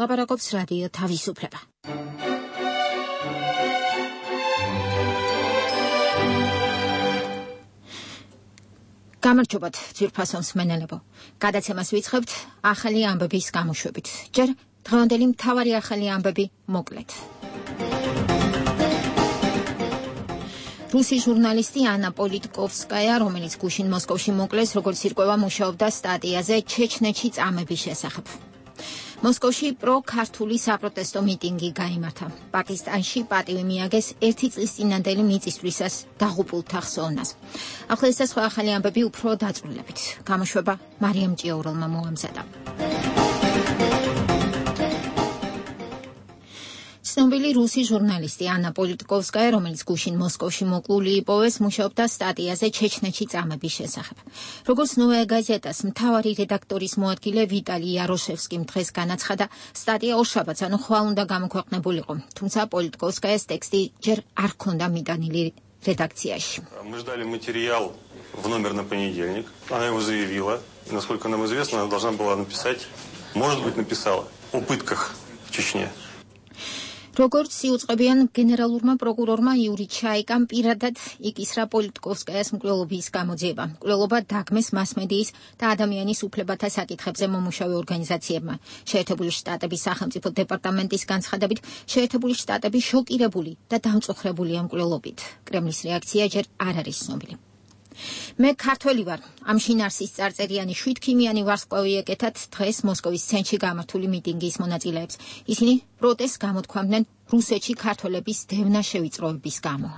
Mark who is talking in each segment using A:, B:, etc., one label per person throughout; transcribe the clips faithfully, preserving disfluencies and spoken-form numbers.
A: ლაპარაკობს რადიო თავისუფლება. გამარჯობათ, ძვირფასო მსმენელებო. გადაცემას ვიწყებთ ახალი ამბების გამოშვებით. ჯერ დღევანდელი მთავარი ახალი ამბები მოკლედ. რუსი ჟურნალისტი ანა პოლიტკოვსკაია, რომელიც გუშინ მოსკოვში მოკლეს, როგორც ირკვევა, მუშაობდა სტატიაზე ჩეჩნეთში წამების შესახებ. მოსკოვში პრო-ქართული საპროტესტო მიტინგი გაიმართა. პაკისტანში პატივი მიაგეს ერთი წლის წინანდელი მიწისძვრისას დაღუპულთა ხსოვნას. ახლა ეს და სხვა ახალი ამბები უფრო დაწვრილებით. გამოშვება მარიამ ჭიაურელმა მოამზადა. ცნობილი რუსი ჟურნალისტი ანა პოლიტკოვსკაია, რომელიც გუშინ მოსკოვში მოკლული იპოვეს, მუშაობდა სტატიაზე ჩეჩნეთში წამების შესახებ. როგორც ნოვაია გაზეტას მთავარი რედაქტორის მოადგილე ვიტალი იაროშევსკიმ დღეს განაცხადა, სტატია ორშაბათს, ანუ ხვალ უნდა გამოქვეყნებულიყო, თუმცა პოლიტკოვსკაიას ტექსტი ჯერ არ ჰქონდა მიტანილი редакцияში.
B: Мы ждали материал в номер на понедельник. Она его заявила. И, насколько нам известно, она должна была написать, может быть, написала о пытках в Чечне.
A: როგორც იუწყებიან გენერალურმა პროკურორმა იური ჩაიკამ პირადად იკისრა პოლიტკოვსკაიას მკვლელობის გამოძიება. მკვლელობა დაგმეს მასმედიის და ადამიანის უფლებათა საკითხებზე მომუშავე ორგანიზაციებმა. შეერთებული შტატების სახელმწიფო დეპარტამენტის განცხადებით, შეერთებული შტატები შოკირებული და დამწუხრებულია მკვლელობით. კრემლის რეაქცია ჯერ არ არის ცნობილი. მე ქართველი ვარ. ამ შინარსის წარწერიანი შვიდქიმიანი ვარსკვლავი ეკეთათ დღეს მოსკოვის ცენტრში გამართული მიტინგის მონაწილეებს. ისინი პროტესტს გამოთქვამდნენ რუსეთში ქართველების დევნა შევიწროების გამო.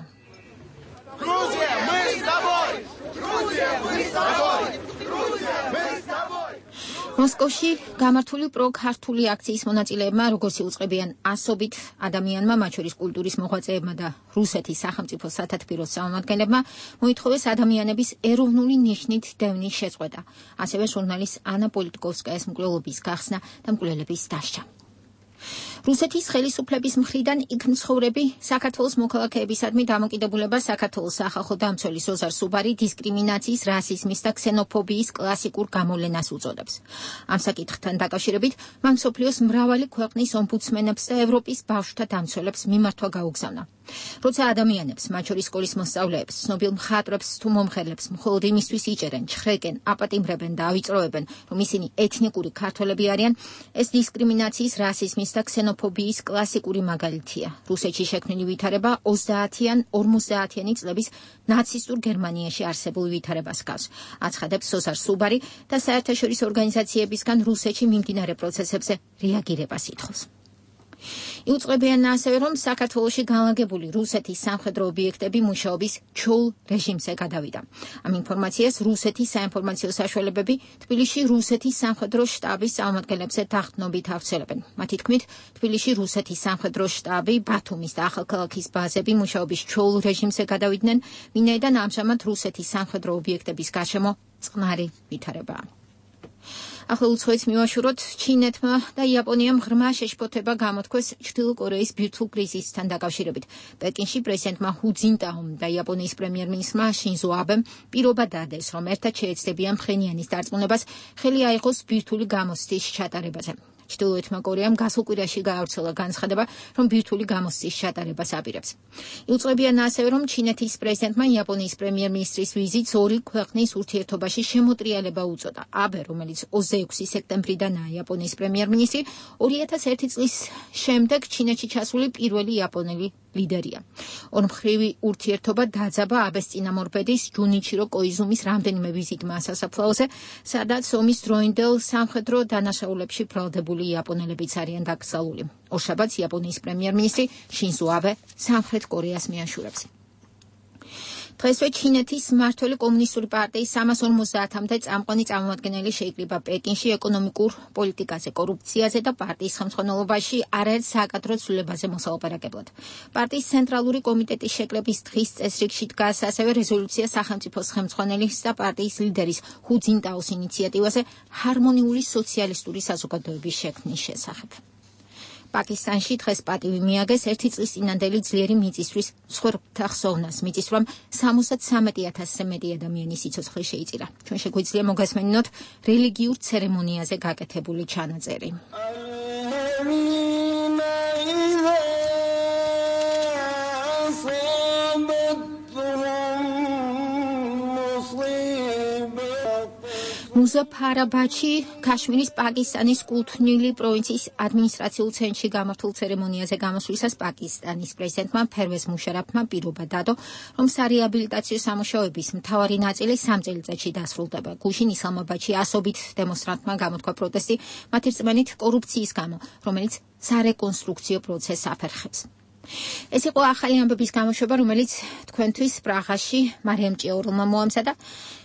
C: Грузия, мы с тобой! Грузия, мы с тобой! Грузия, мы с тобой!
A: მოსკოვში გამართული პრო-ქართული აქციის მონაწილეებმა, როგორც იუწყებიან ასობით ადამიანმა, მათ შორის კულტურის მოღვაწეებმა და რუსეთის სახელმწიფო სათათბიროს წარმომადგენლებმა, მოითხოვეს ადამიანების ეროვნული ნიშნით დევნის შეწყვეტა, ასევე ჟურნალისტ ანა პოლიტკოვსკაიას მკვლელობის გახსნა და მკვლელების დასჯა. რუსეთის ხელისუფლების მხრიდან იქ მცხოვრები საქართველოს მოქალაქეებისადმი დამოკიდებულება საქართველოს სახალხო დამცველი ზოზარ სუბარი დისკრიმინაციის, რასიზმის და ქსენოფობიის კლასიკურ გამოვლენას უწოდებს. ამ საკითხთან დაკავშირებით მან მსოფლიოს მრავალი ქვეყნის ომბუდსმენებს და ევროპის ბავშვთა დამცველებს მიმართვა გაუგზავნა. როცა ადამიანებს, მათ შორის სკოლის მოსწავლეებს, ცნობილ მხატვრებს თუ მომღერლებს მხოლოდ იმისთვის იჭერენ, ჩხრეკენ, აპატიმრებენ და ავიწროებენ, რომ ისინი ეთნიკური ქართველები არიან, ეს დისკრიმინაციის, რასიზმის და ქსენოფობიის კლასიკური მაგალითია. რუსეთში შექმნილი ვითარება ოცდაათი ან ორმოცდაათიანი წლების ნაცისტურ გერმანიაში არსებულ ვითარებას გავს. აცხადებს ზოზარ სუბარი და საერთაშორისო ორგანიზაციებისგან რუსეთში მიმდინარე პროცესებზე რეაგირებას ითხოვს. იუწყებიან ასევე, რომ საქართველოში განლაგებული რუსეთის სამხედრო ობიექტები მუშაობის ჩოულ რეჟიმზე გადავიდა. ამ ინფორმაციას რუსეთის საინფორმაციო საშუალებები თბილისში რუსეთის სამხედრო შტაბის წარმომადგენლებზე დახდნობით ავრცელებენ. მათი თქმით, თბილისში რუსეთის სამხედრო შტაბი, ბათუმის და ახალქალაქის ბაზები მუშაობის ჩოულ რეჟიმზე გადავიდნენ, ვინაიდან ამჟამად რუსეთის სამხედრო ობიექტების გარშემო წყნარი ვითარებაა. ახლა უცხოეთს მივაშუროთ, ჩინეთმა და იაპონიამ ღრმა შეშფოთება გამოთქვეს ჩრდილო კორეის ბირთვულ კრიზისთან დაკავშირებით. პეკინში პრეზიდენტმა ჰუ ძინტაომ და იაპონიის პრემიერ-მინისტრმა შინზო აბემ პირობა დადეს, რომ ერთად შეეცდებიან მხრენიანის დარწმუნებას ხელი აიღოს ბირთვული გამოცდის ჩატარებაზე. ჩრდილოეთმა კორეამ გასულ კვირაში გაავრცელა განცხადება, რომ ბირთვული გამოცდის ჩატარებას აპირებს. იუწყებიან ასევე, რომ ჩინეთის პრეზიდენტმა იაპონიის პრემიერ-მინისტრის ვიზიტს ორი ქვეყნის ურთიერთობაში შემოტრიალება უწოდა. აბე, რომელიც ოცდაექვსი სექტემბრიდანაა იაპონიის პრემიერ-მინისტრი, ორი ათას ერთი წლის შემდეგ ჩინეთში ჩასული პირველი იაპონელი ლიდერია. ორმხრივი ურთიერთობა დაძაბა აბეს წინამორბედის ჯუნიჩირო კოიზუმის რამდენიმე ვიზიტმა სასაფლაოზე, სადაც ომის დროინდელ სამხედრო დანაშაულებში ბრალდებული იაპონელებიც არიან დაკრძალული. ორშაბათს იაპონიის პრემიერ-მინისტრი შინზო აბე სამხრეთ კორეას მიაშურებს. დღესვე ჩინეთის მმართველი კომუნისტური პარტიის სამას ორმოცდაათამდე წამყვანი წარმომადგენელი შეიკრიბა პეკინში ეკონომიკურ პოლიტიკაზე, კორუფციაზე და პარტიის ხელმძღვანელობაში არაერთ საკადრო ცვლილებაზე მოსალაპარაკებლად. პარტიის ცენტრალური კომიტეტის შეკრების დღის წესრიგში დგას ასევე რეზოლუცია სახელმწიფოს ხელმძღვანელის და პარტიის ლიდერის ჰუ ძინტაოს ინიციატივაზე ჰარმონიული სოციალისტური საზოგადოების შექმნის შესახებ. პაკისტანში დღეს პატივი მიაგეს ერთი წლის წინანდელი ძლიერი მიწისძვრის მსხვერპლთა ხსოვნას. მიწისძვრამ სამოცდათვრამეტი ათასზე მეტი ადამიანის სიცოცხლე შეიწირა. ჩვენ შეგვიძლია მოგესმენინოთ რელიგიურ ცერემონიაზე გაკეთებული ჩანაწერი. მუზაფარაბადში, ქაშმირის პაკისტანის კუთვნილი პროვინციის ადმინისტრაციულ ცენტრში გამართულ ცერემონიაზე გამოსვლისას პაკისტანის პრეზიდენტმა ფერვეზ მუშარაფმა პირობა დადო, რომ სარეაბილიტაციო სამუშაოების მთავარი ნაწილი სამ წელიწადში დასრულდება. გუშინ ისლამაბადში ასობით დემონსტრანტმა გამოთქვა პროტესტი მათი რწმენით კორუფციის გამო, რომელიც სარეკონსტრუქციო პროცესს აფერხებს. ეს იყო ახალი ამბების გამოშვება, რომელიც თქვენთვის პრაღაში მარიამ ჭიაურელმა მოამზადა.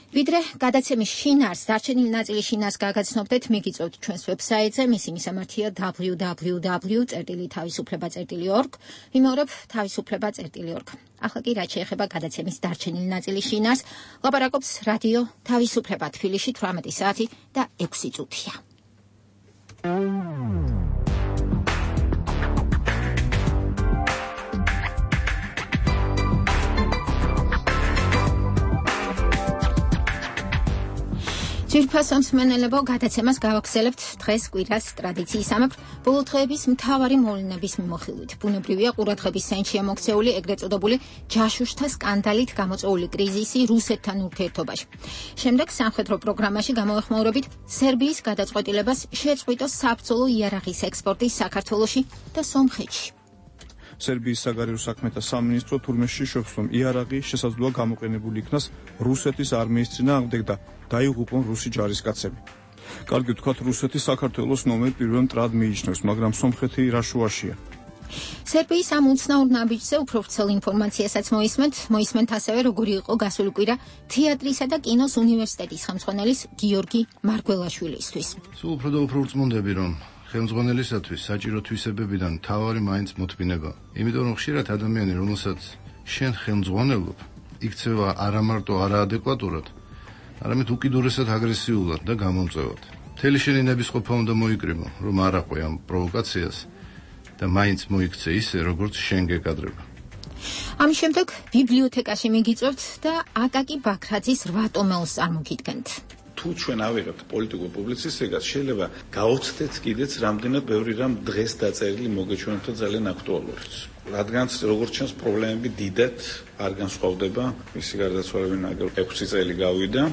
A: ვიდრე გადაცემის შინაარს, დარჩენილი ნაწილის შინაარს გაგაცნობდეთ, მიგიწევთ ჩვენს ვებსაიტზე, მისი მისამართია დაბლიუ დაბლიუ დაბლიუ წერტილი თავისუფლება წერტილი ორგ, ვიმეორებ თავისუფლება წერტილი ორგ. ახლა კი რაც შეეხება გადაცემის დარჩენილი ნაწილის შინაარს, ლაპარაკობს რადიო თავისუფლება თბილისში თვრამეტი საათი და ექვსი წუთია. ძვირფასო მსმენელებო, გადაცემას გავაგრძელებთ დღეს კვირას ტრადიციისამებრ ბოლო დღეების მთავარი მოვლენების მიმოხილვით. ბუნებრივია ყურადღების ცენტრშია მოქცეული ეგრეთ წოდებული ჯაშუშთა სკანდალით გამოწვეული კრიზისი რუსეთთან ურთიერთობაში. შემდეგ სამხედრო პროგრამაში გამოვეხმაურებით სერბიის გადაწყვეტილებას შეწყვიტოს საბრძოლო იარაღის ექსპორტი საქართველოში და სომხეთში.
D: სერბიის საგარეო საქმეთა სამინისტრო თურმეში შვებს, რომ იარაღი შესაძლოა გამოყენებული იქნას რუსეთის არმიის წინააღმდეგ და დაიღუპონ რუსი ჯარისკაცები. კარგი ვთქვათ, რუსეთი საქართველოს ნომერ პირველ მტრად მიიჩნევს, მაგრამ სომხეთი რა შუაშია.
A: სერბიის ამ უცნაურ ნაბიჯზე უფრო ვრცელ ინფორმაციასაც მოისმენთ, მოისმენთ ასევე როგორი იყო გასული კვირა თეატრისა და კინოს უნივერსიტეტის ხელმძღვანელის გიორგი მარგველაშვილისთვის.
E: სულ უფრო და უფრო ვრწმუნდები, რომ ხელმძღვანელისათვის საჭირო თვისებებიდან მთავარი მაინც მოთმინება. იმიტომ რომ ხშირად ადამიანი, რომელსაც შენ ხელმძღვანელობ, იქცევა არა მარტო არაადეკვატურად, არამედ უკიდურესად აგრესიულად და გამომწვევად. მთელი შენი ნებისყოფა უნდა მოიკრიბო, რომ არ აყვე ამ პროვოკაციას და მაინც მოიქცე ისე, როგორც შენ გეკადრება.
A: ამის შემდეგ ბიბლიოთეკაში მიგიწევთ და აკაკი ბაქრაძის რვა ტომეულს წარმოგიდგენთ.
F: თუ ჩვენ ავიღებთ პოლიტიკურ პუბლიცისტიკას, შეიძლება გაოცდეთ კიდეც რამდენად ბევრი რამ დღეს დაწერილი მოგეჩვენოთ ძალიან აქტუალურიც. რადგანაც როგორც ჩანს პრობლემები დიდად არ განსხვავდება, მისი გარდაცვალებიდან ექვსი წელი გავიდა.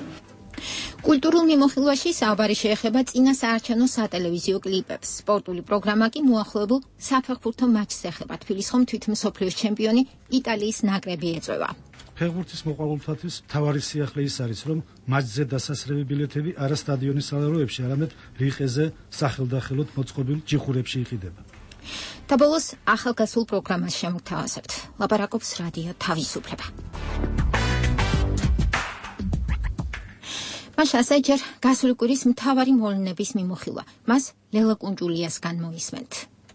A: კულტურულ მიმოხილვაში საუბარი შეეხება წინა საარჩევნო სატელევიზიო კლიპებს. სპორტული პროგრამა კი მოახლოებულ საფეხბურთო მატჩს ეხება. თბილის ხომ თვითმსოფლიოს ჩემპიონი იტალიის ნაკრები ეწევა.
G: ფეხბურთის მოყვარულთათვის მთავარი სიახლე ის არის, რომ მატჩზე დასასრები ბილეთები არა სტადიონის სალაროებში, არამედ რიყეზე სახელდახელოდ მოწყობილ ჯიხურებში იყიდება.
A: და ბოლოს ახალგაზრდულ პროგრამას შემოგთავაზებთ. ლაპარაკობს რადიო თავისუფლება. მაშასე ჯერ გასული კვირის მთავარი მოვლენების მიმოხილვა. მას ლელა კუნჯულიასგან მოისმენთ.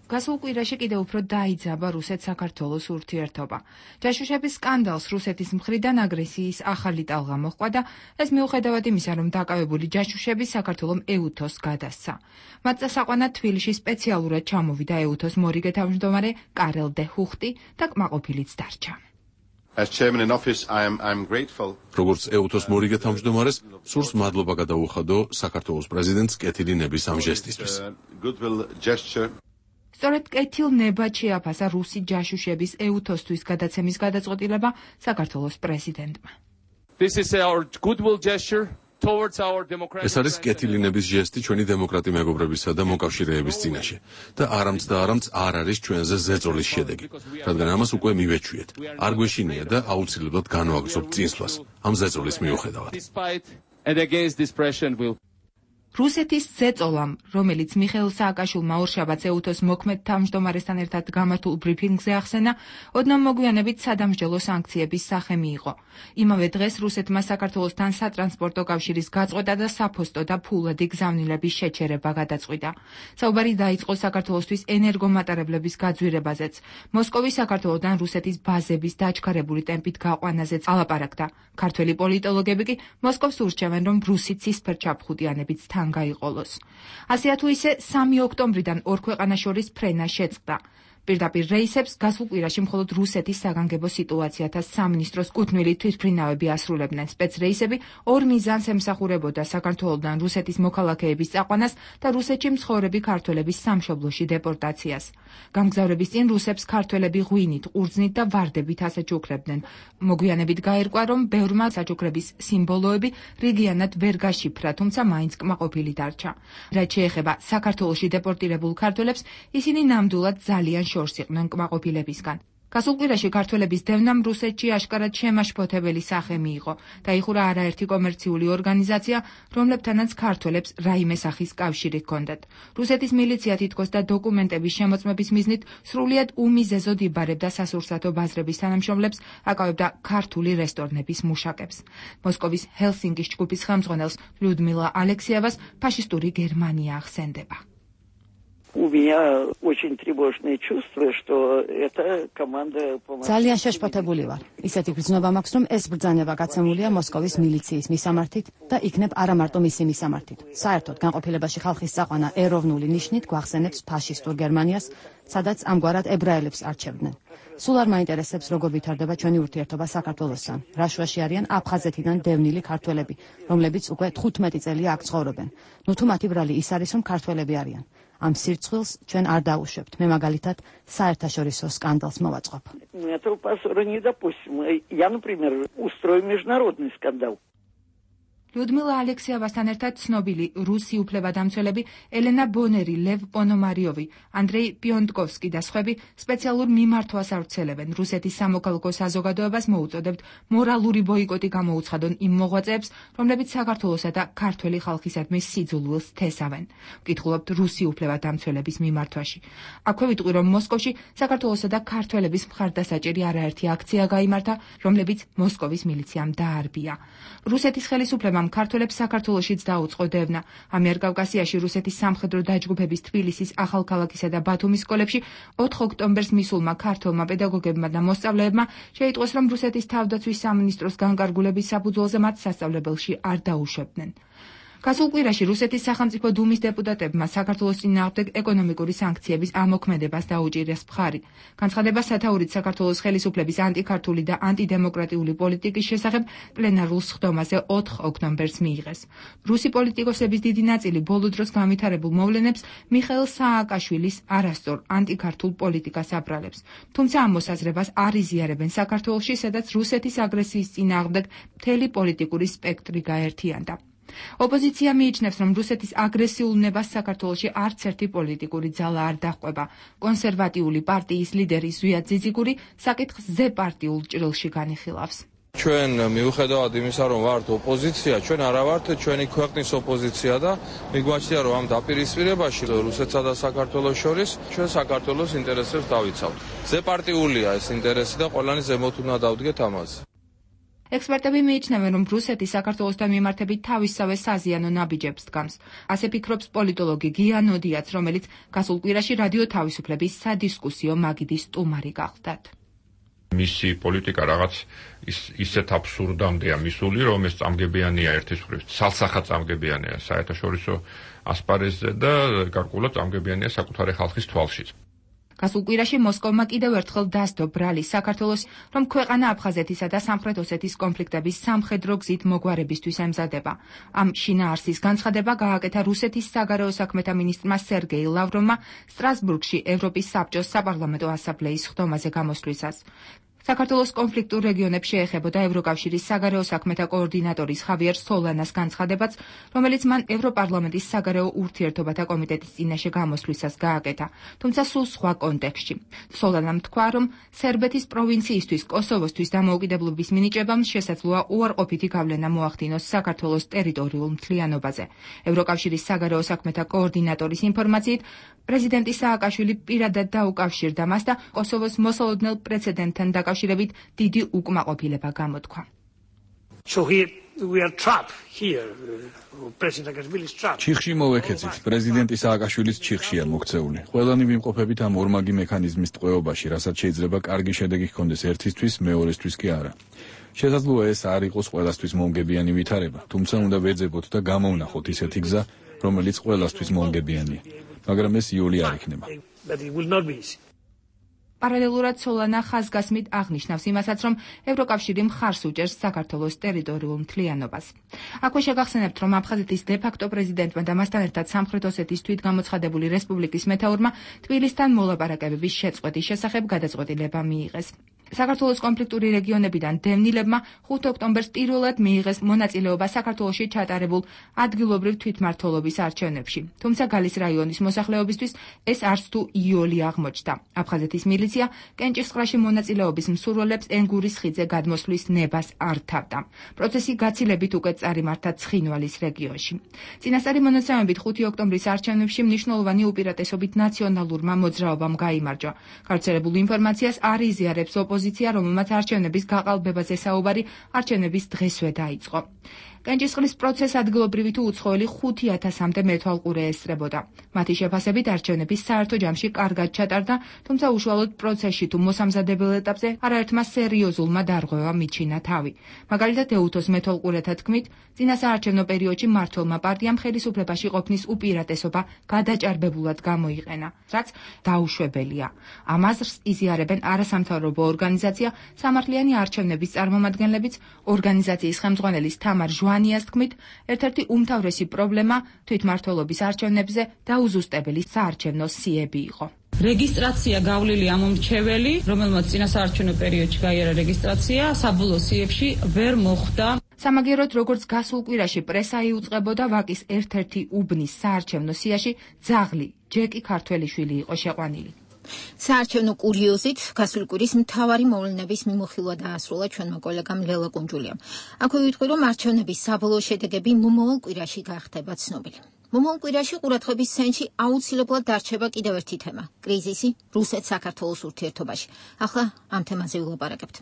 H: გასულ კვირაში კიდევ უფრო დაიძაბა რუსეთ-საქართველოს ურთიერთობა. ჯაშუშების სკანდალს რუსეთის მხრიდან აგრესიის ახალი ტალღა მოჰყვა და ეს მიუხედავად იმისა, რომ დაკავებული ჯაშუშები საქართველოს ეუთოს გადასცა. მათ წასაყვანად თბილისში სპეციალურად ჩამოვიდა ეუთოს მორიგე თავმჯდომარე კარელ დე ჰუხტი და კმაყოფილიც დარჩა.
I: როგორც ეუთოს მორიგე თავმჯდომარეს, სურს მადლობა გადაუხადო საქართველოს პრეზიდენტს კეთილი ნების ამ ჟესტისთვის.
H: სწორედ კეთილ ნებად შეაფასა რუსი ჯაშუშების ეუთოსთვის გადაცემის გადაწყვეტილება საქართველოს პრეზიდენტმა.
I: ეს არის კეთილი ნების ჟესტი ჩვენი დემოკრატი მეგობრებისა და მოკავშირეების წინაშე და არამც და არამც არ არის ჩვენზე ზეწოლის შედეგი, რადგან ამას უკვე მივეჩვიეთ. არ გვეშინია და აუცილებლად განვაგრძობთ წინსვლას ამ ზეწოლის მიუხედავად.
H: რუსეთის ზეწოლამ, რომელიც მიხეილ სააკაშვილმა ორშაბათს ეუთოს მოქმედ თავმჯდომარესთან ერთად გამართულ ბრიფინგზე ახსენა, ოდნავ მოგვიანებით სადამსჯელო სანქციების სახე მიიღო. იმავე დღეს რუსეთმა საქართველოსთან სატრანსპორტო კავშირის გაწყვეტა და საფოსტო და ფულადი გზავნილების შეჩერება გადაწყვიტა. საუბარი დაიწყო საქართველოსთვის ენერგომატარებლების გაძვირებაზეც. მოსკოვის საქართველოსთან რუსეთის ბაზების დაჩქარებული ტემპით გაყვანაზეც ალაპარაკდა. ქართველი პოლიტოლოგები კი მოსკოვს ურჩევენ, რომ რუსი ცისფერჩაფხუტიანებიც თან გაიყოლოს. ასეა თუ ისე სამი ოქტომბრიდან ორ ქვეყანას შორის ფრენა შეწყდა. პირდაპირ რეისებს გასულ კვირაში მხოლოდ რუსეთის საგანგებო სიტუაციათა სამინისტროს კუთვნილი თვითმფრინავები ასრულებდნენ. სპეცრეისები ორ მიზანს ემსახურებოდა: საქართველოდან რუსეთის მოქალაქეების წაყვანას და რუსეთში მცხოვრები ქართველების სამშობლოში დეპორტაციას. გამგზავრების წინ რუსებს ქართველები ღვინით, ყურძნით და ვარდებით ასაჩუქრებდნენ. მოგვიანებით გაირკვა, რომ ბევრმა საჩუქრების სიმბოლოები რიგიანად ვერ გაშიფრა, თუმცა მაინც კმაყოფილი დარჩა. რაც შეეხება საქართველოში დეპორტირებულ ქართველებს, ისინი ნამდვილად ძალიან შორს იყვნენ კმაყოფილებისგან. გასულ კვირაში ქართველების დევნამ რუსეთში აშკარად შემაშფოთებელი სახე მიიღო. დაიხურა არაერთი კომერციული ორგანიზაცია, რომლებთანაც ქართველებს რაიმე სახის კავშირი ჰქონდათ. რუსეთის მილიცია თითქოს და დოკუმენტების შემოწმების მიზნით სრულიად უმიზეზოდ იბარებდა სასურსათო ბაზრების თანამშრომლებს, აკავებდა ქართული რესტორნების მუშაკებს. მოსკოვის ჰელსინკის ჯგუფის ხელმძღვანელს ლიუდმილა ალექსიევას ფაშისტური გერმანია ახსენდება.
J: ძალიან შეშფოთებული ვარ. ისეთი გრძნობა მაქვს, რომ ეს ბრძანება გაცემულია მოსკოვის მილიციის მისამართით და იქნებ არა მარტო მისი მისამართით. საერთოდ განყოფილებაში ხალხის წაყვანა ეროვნული ნიშნით გვახსენებს ფაშისტურ გერმანიას, სადაც ამგვარად ებრაელებს არჩევდნენ. სულ არ მაინტერესებს, როგორ ვითარდება ჩვენი ურთიერთობა საქართველოსთან. რა შუაში არიან აფხაზეთიდან დევნილი ქართველები, რომლებიც უკვე თხუთმეტი წელია აქ ცხოვრობენ. ნუ თუ მათი ბრალი ის არის, რომ ქართველები არიან. ამ სირცხვილს ჩვენ არ დაუშვებთ. მე მაგალითად საერთაშორისო სკანდალს მოვაწყობ.
H: ლიუდმილა ალექსიევასთან ერთად ცნობილი რუსი უფლებადამცველები ელენა ბონერი, ლევ პონომარიოვი, ანდრეი პიონტკოვსკი და სხვები სპეციალურ მიმართვას ავრცელებენ. რუსეთის სამოქალაქო საზოგადოებას მოუწოდებთ მორალური ბოიკოტი გამოუცხადონ იმ მოღვაწეებს, რომლებიც საქართველოსა და ქართველი ხალხისადმი სიძულვილს თესავენ. ვკითხულობთ რუსი უფლებადამცველების მიმართვაში. აქვე ვიტყვი, რომ მოსკოვში საქართველოსა და ქართველების მხარდასაჭერი არაერთი აქცია გაიმართა, რომლებიც მოსკოვის მილიციამ დაარბია. რუსეთის ხელისუფლებამ ქართველებს საქართველოშიც დაუწყო დევნა. ამიერკავკასიაში რუსეთის სამხედრო დაჯგუფების თბილისის, ახალქალაქისა და ბათუმის სკოლებში ოთხ ოქტომბერს მისულმა ქართველმა პედაგოგებმა და მოსწავლეებმა შეიტყვეს, რომ რუსეთის თავდაცვის სამინისტროს განკარგულების საფუძველზე მათ სასწავლებელში არ დაუშვებდნენ. გასულ კვირაში რუსეთის სახელმწიფო დუმის დეპუტატებმა საქართველოს წინააღმდეგ ეკონომიკური სანქციების ამოქმედებას დაუჭირეს მხარი. განცხადება სათაურით საქართველოს ხელისუფლების ანტიქართული და ანტიდემოკრატიული პოლიტიკის შესახებ პლენარულ სხდომაზე ოთხ ოქტომბერს მიიღეს. რუსი პოლიტიკოსების დიდი ნაწილი ბოლო დროს განვითარებულ მოვლენებს მიხეილ სააკაშვილის არასწორ ანტიქართულ პოლიტიკას აბრალებს. თუმცა ამ მოსაზრებას არ იზიარებენ საქართველოში, სადაც რუსეთის აგრესიის წინააღმდეგ მთელი პოლიტიკური სპექტრი გაერთიანდა. ოპოზიცია მიიჩნევს, რომ რუსეთის აგრესიულ ნებას საქართველოში არც ერთი პოლიტიკური ძალა არ დაჰყვება. კონსერვატიული პარტიის ლიდერი ზვია ძიძიგური საკითხს ზე პარტიულ ჭრილში განიხილავს.
K: ჩვენ მიუხედავად იმისა, რომ ვართ ოპოზიცია, ჩვენ არა ვართ ჩვენი ქვეყნის ოპოზიცია და მიგვაჩნია, რომ ამ დაპირისპირებაში რუსეთსა და საქართველოს შორის ჩვენ საქართველოს ინტერესებს დავიცავთ. ზე პარტიულია ეს ინტერესი და ყველანი ზემოთ უნდა დავდგეთ ამაზე.
H: ექსპერტები მიიჩნევენ, რომ რუსეთი საქართველოსთან მიმართებით თავისსავე საზიანო ნაბიჯებს დგამს. ასე ფიქრობს პოლიტოლოგი გია ნოდიაც, რომელიც გასულ კვირაში რადიო თავისუფლების სადისკუსიო მაგიდის სტუმარი გახლდათ.
L: მისი პოლიტიკა რაღაც ის ისეთ აბსურდამდეა მისული, რომ ეს წამგებიანია ერთის მხრივ, ცალსახად წამგებიანია საერთაშორისო ასპარეზზე და გარკვეულად წამგებიანია საკუთარი ხალხის თვალშიც.
H: გასულ კვირაში მოსკოვმა კიდევ ერთხელ დასდო ბრალი საქართველოს, რომ ქვეყანა აფხაზეთისა და სამხრეთ ოსეთის კონფლიქტების სამხედრო გზით მოგვარებისთვის ემზადება. ამ შინაარსის განცხადება გააკეთა რუსეთის საგარეო საქმეთა მინისტრმა სერგეი ლავროვმა სტრასბურგში ევროპის საბჭოს საპარლამენტო ასამბლეის სხდომაზე გამოსვლისას. საქართველოს კონფლიქტურ რეგიონებს შეეხებოდა ევროკავშირის საგარეო საქმეთა კოორდინატორის ხავიერ სოლანას განცხადებაც, რომელიც მან ევროპარლამენტის საგარეო ურთიერთობათა კომიტეტის წინაშე გამოსვლისას გააკეთა, თუმცა სულ სხვა კონტექსტში. სოლანამ თქვა, რომ სერბეთის პროვინციისთვის კოსოვოსთვის დამოუკიდებლობის მინიჭებამ შესაძლოა უარყოფითი გავლენა მოახდინოს საქართველოს ტერიტორიულ მთლიანობაზე. ევროკავშირის საგარეო საქმეთა კოორდინატორის ინფორმაციით, პრეზიდენტი სააკაშვილი პირადად დაუკავშირდა მას და კოსოვოს მოსალოდნელ პრეცედენტთან დაკავშირებით დიდი უკმაყოფილება გამოთქვა.
D: ჩიხში მოვექეცით. პრეზიდენტი სააკაშვილის ჩიხშია მოქცეული. ყველანი ვიმყოფებით ამ ორმაგი მექანიზმის ტყვეობაში, რასაც შეიძლება კარგი შედეგი ჰქონდეს ერთისთვის, მეორესთვის კი არა. შესაძლოა ეს არ იყოს ყველასთვის მომგებიანი ვითარება, თუმცა უნდა ვეძებოთ და გამოვნახოთ ისეთი გზა, რომელიც ყველასთვის მომგებიანია. მაგრამ ეს იოლი არ იქნება.
H: პარალელურად სოლანა ხაზგასმით აღნიშნავს იმასაც, რომ ევროკავშირი მხარს უჭერს საქართველოს ტერიტორიულ მთლიანობას. აქვე შეგახსენებთ, რომ აფხაზეთის დე-ფაქტო პრეზიდენტმა და მასთან ერთად სამხრეთ ოსეთის თვითგამოცხადებული რესპუბლიკის მეთაურმა თბილისთან მოლაპარაკებების შეწყვეტის შესახებ გადაწყვეტილება მიიღეს. საქართველოს კონფლიქტური რეგიონებიდან დევნილებმა ხუთი ოქტომბერს პირველად მიიღეს მონაწილეობა საქართველოში ჩატარებულ ადგილობრივ თვითმმართველობის არჩევნებში. თუმცა გალის რაიონის მოსახლეობისთვის ეს არც თუ იოლი აღმოჩნდა. აფხაზეთის მილიცია კენჭისყრაში მონაწილეობის მსურველებს ენგურის ხიდზე გადმოსვლის ნებას არ თავდა. პროცესი გაცილებით უკვე წარიმართა ცხინვალის რეგიონში. წინასწარი მონაცემებით ხუთი ოქტომბრის არჩევნებში მნიშვნელოვანი უპირატესობით ნაციონალურმა მოძრაობამ გაიმარჯვა. გავრცელებულ ინფორმაციას არ იზიარებს ოპოზიცია, რომელმაც არჩევნების გაყალბებაზე საუბარი არჩევნების დღესვე დაიწყო. კენჭისყრის პროცესს ადგილობრივი თუ უცხოელი ხუთი ათასამდე მეთვალყურე ესწრებოდა. მათი შეფასებით არჩევნების საერთო ჯამში კარგად ჩატარდა, თუმცა უშუალოდ პროცესში თუ მოსამზადებელ ეტაპზე არაერთმა სერიოზულმა დარღვევა მიჩინა თავი. მაგალითად, ეუთოს მეთვალყურეთა თქმით, წინასაარჩევნო პერიოდში მმართველმა პარტიამ ხელისუფლებაში ყოფნის უპირატესობა გადაჭარბებულად გამოიყენა, რაც დაუშვებელია. ამ აზრს იზიარებენ არასამთავრობო ორგანიზაცია სამართლიანი არჩევნების წარმომადგენლებიც, ორგანიზაციის ხელმძღვანელის თამარ ჟვანიას თქმით, ერთ-ერთი უმთავრესი პრობლემა თვითმმართველობის არჩევნებზე დაუზუსტებელი საარჩევნო სიები იყო.
M: რეგისტრაცია გავლილი ამომრჩეველი, რომელმაც წინასაარჩევნო პერიოდში გაიარა რეგისტრაცია, საბოლოო სიებში ვერ მოხვდა.
H: სამაგიეროდ, როგორც გასულ კვირაში პრესა იუწყებოდა, ვაკის ერთ-ერთი უბნის საარჩევნო სიაში ძაღლი ჯეკი ქართველიშვილი იყო შეყვანილი.
A: საარჩევნო კურიოზით გასული კვირის მთავარი მოვლენების მიმოხილვა დაასრულა ჩვენმა კოლეგამ ლელა კუნჯულიამ. აქვე ვიტყვი, რომ არჩევნების საბოლოო შედეგები მომავალ კვირაში გახდება ცნობილი. მომავალ კვირაში ყურადღების ცენტრში აუცილებლად დარჩება კიდევ ერთი თემა – კრიზისი რუსეთ-საქართველოს ურთიერთობაში. ახლა ამ თემაზე ვილაპარაკებთ.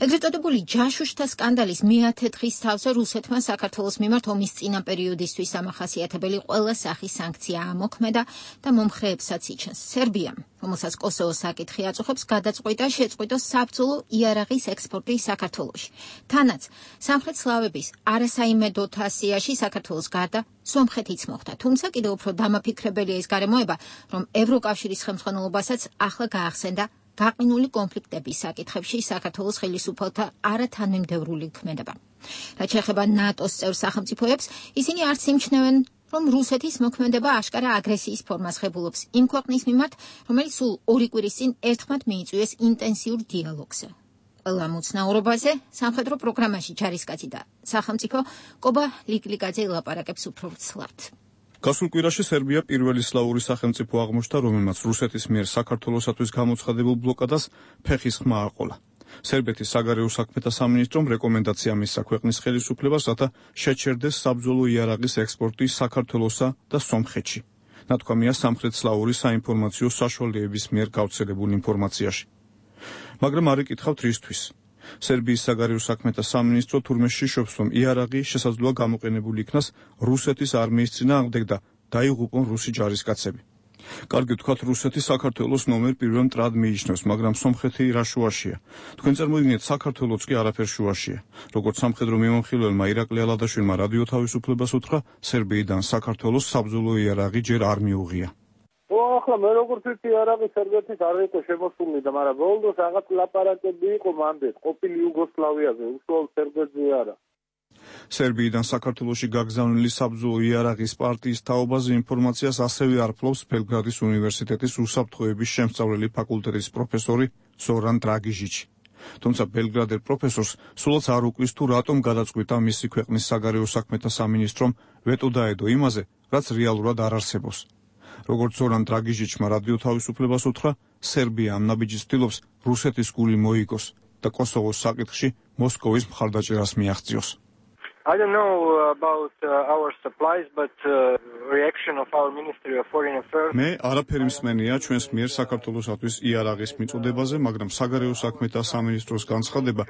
A: ეგრეთ წოდებული ჯაშუშთა სკანდალის მეათე დღის თავზე რუსეთმა საქართველოს მიმართ ომის წინა პერიოდისთვის ამახასიათებელი ყველა სახის სანქცია ამოქმედა და მომხრეებსაც იჩენს. სერბიამ, რომელსაც კოსოვოს საკითხი აწუხებს, გადაწყვიტა შეწყვიტოს საბრძოლო იარაღის ექსპორტი საქართველოში. თანაც სამხრეთ სლავების არასაიმედო თასიაში საქართველოს გარდა სომხეთიც მოხდა. თუმცა კიდევ უფრო დამაფიქრებელია ის გარემოება, რომ ევროკავშირის ხელმძღვანელობასაც ახლა გაახსენდა გაყინული კონფლიქტების საკითხებში საქართველოს ხელისუფალთა არათანმიმდევრული ქმედება. რაც შეეხება ნატოს წევრ სახელმწიფოებს, ისინი არც იმჩნევენ, რომ რუსეთის მოქმედება აშკარა აგრესიის ფორმას ღებულობს იმ ქვეყნის მიმართ, რომელიც სულ ორი კვირის წინ ერთხმად მიიწვიეს ინტენსიურ დიალოგზე. ყველა მოცნაურობაზე სამხედრო პროგრამაში ჯარისკაცი და სახელმწიფო კობა ლიკლიკაძე ელაპარაკებს უფრო ცლად.
D: გასულ კვირაში სერბია პირველი სლავური სახელმწიფო აღმოჩნდა, რომელმაც რუსეთის მიერ საქართველოსათვის გამოცხადებულ ბლოკადას ფეხის ხმა აყოლა. სერბეთის საგარეო საქმეთა სამინისტრომ რეკომენდაცია მისცა ქვეყნის ხელისუფლებას, რათა შეჩერდეს საბრძოლო იარაღის ექსპორტი საქართველოსა და სომხეთში. ნათქვამია სამხრეთ სლავური საინფორმაციო საშუალებების მიერ გავრცელებულ ინფორმაციაში. მაგრამ არ იკითხავთ რისთვის. სერბიის საგარეო საქმეთა სამინისტრო თურმეში შობს, რომ იარაღი შესაძლოა გამოყენებული იქნას რუსეთის არმიის წინააღმდეგ და დაიღუპონ რუსი ჯარისკაცები. კარგი ვთქვათ, რუსეთი საქართველოს ნომერ პირველ მტრად მიიჩნევს, მაგრამ სომხეთი რა შუაშია? თქვენ წარმოგიდგენთ, საქართველოც კი არაფერ შუაშია. როგორც სამხედრო მიმომხილველმა ირაკლი ალადაშვილმა რადიო თავისუფლებას უთხრა, სერბიიდან საქართველოს საბრძოლო იარაღი ჯერ არ მიუღია.
N: ახლა მე როგორც ვიცი, იარაღი სერბეთის არ იყო შემოსული და მაგრამ ბოლოს რაღაც ლაპარაკები იყო მანდეთ, ყოფილი იუგოსლავიაზე, უშუალოდ სერბეთზე არა.
D: სერბიიდან საქართველოში გაგზავნილი საბრძოლო იარაღის პარტიის თაობაზე ინფორმაციას ასევე არფლობს ბელგრადის უნივერსიტეტის უსაფრთხოების შემსწავლელი ფაკულტეტის პროფესორი ზორან დრაგიჟიჩი. თუმცა ბელგრადელ პროფესორს სულაც არ უკვის თუ რატომ გადაწყვიტა მისი ქვეყნის საგარეო საქმეთა სამინისტრომ ვეტო დაედო იმაზე, რაც რეალურად არ არსებობს. როგორც ზორან დრაგიჟიჩმა რადიო თავისუფლებას უთხრა, სერბია ამ ნაბიჯს ცდილობს რუსეთის გული მოიგოს და კოსოვოს საკითხში მოსკოვის მხარდაჭერას მიაღწიოს.
O: I don't know about uh, our supplies, but uh, reaction of our Ministry of Foreign Affairs.
D: მე არაფერი მსმენია ჩვენს მიერ საქართველოსათვის იარაღის მიწოდებაზე, მაგრამ საგარეო საქმეთა სამინისტროს განცხადება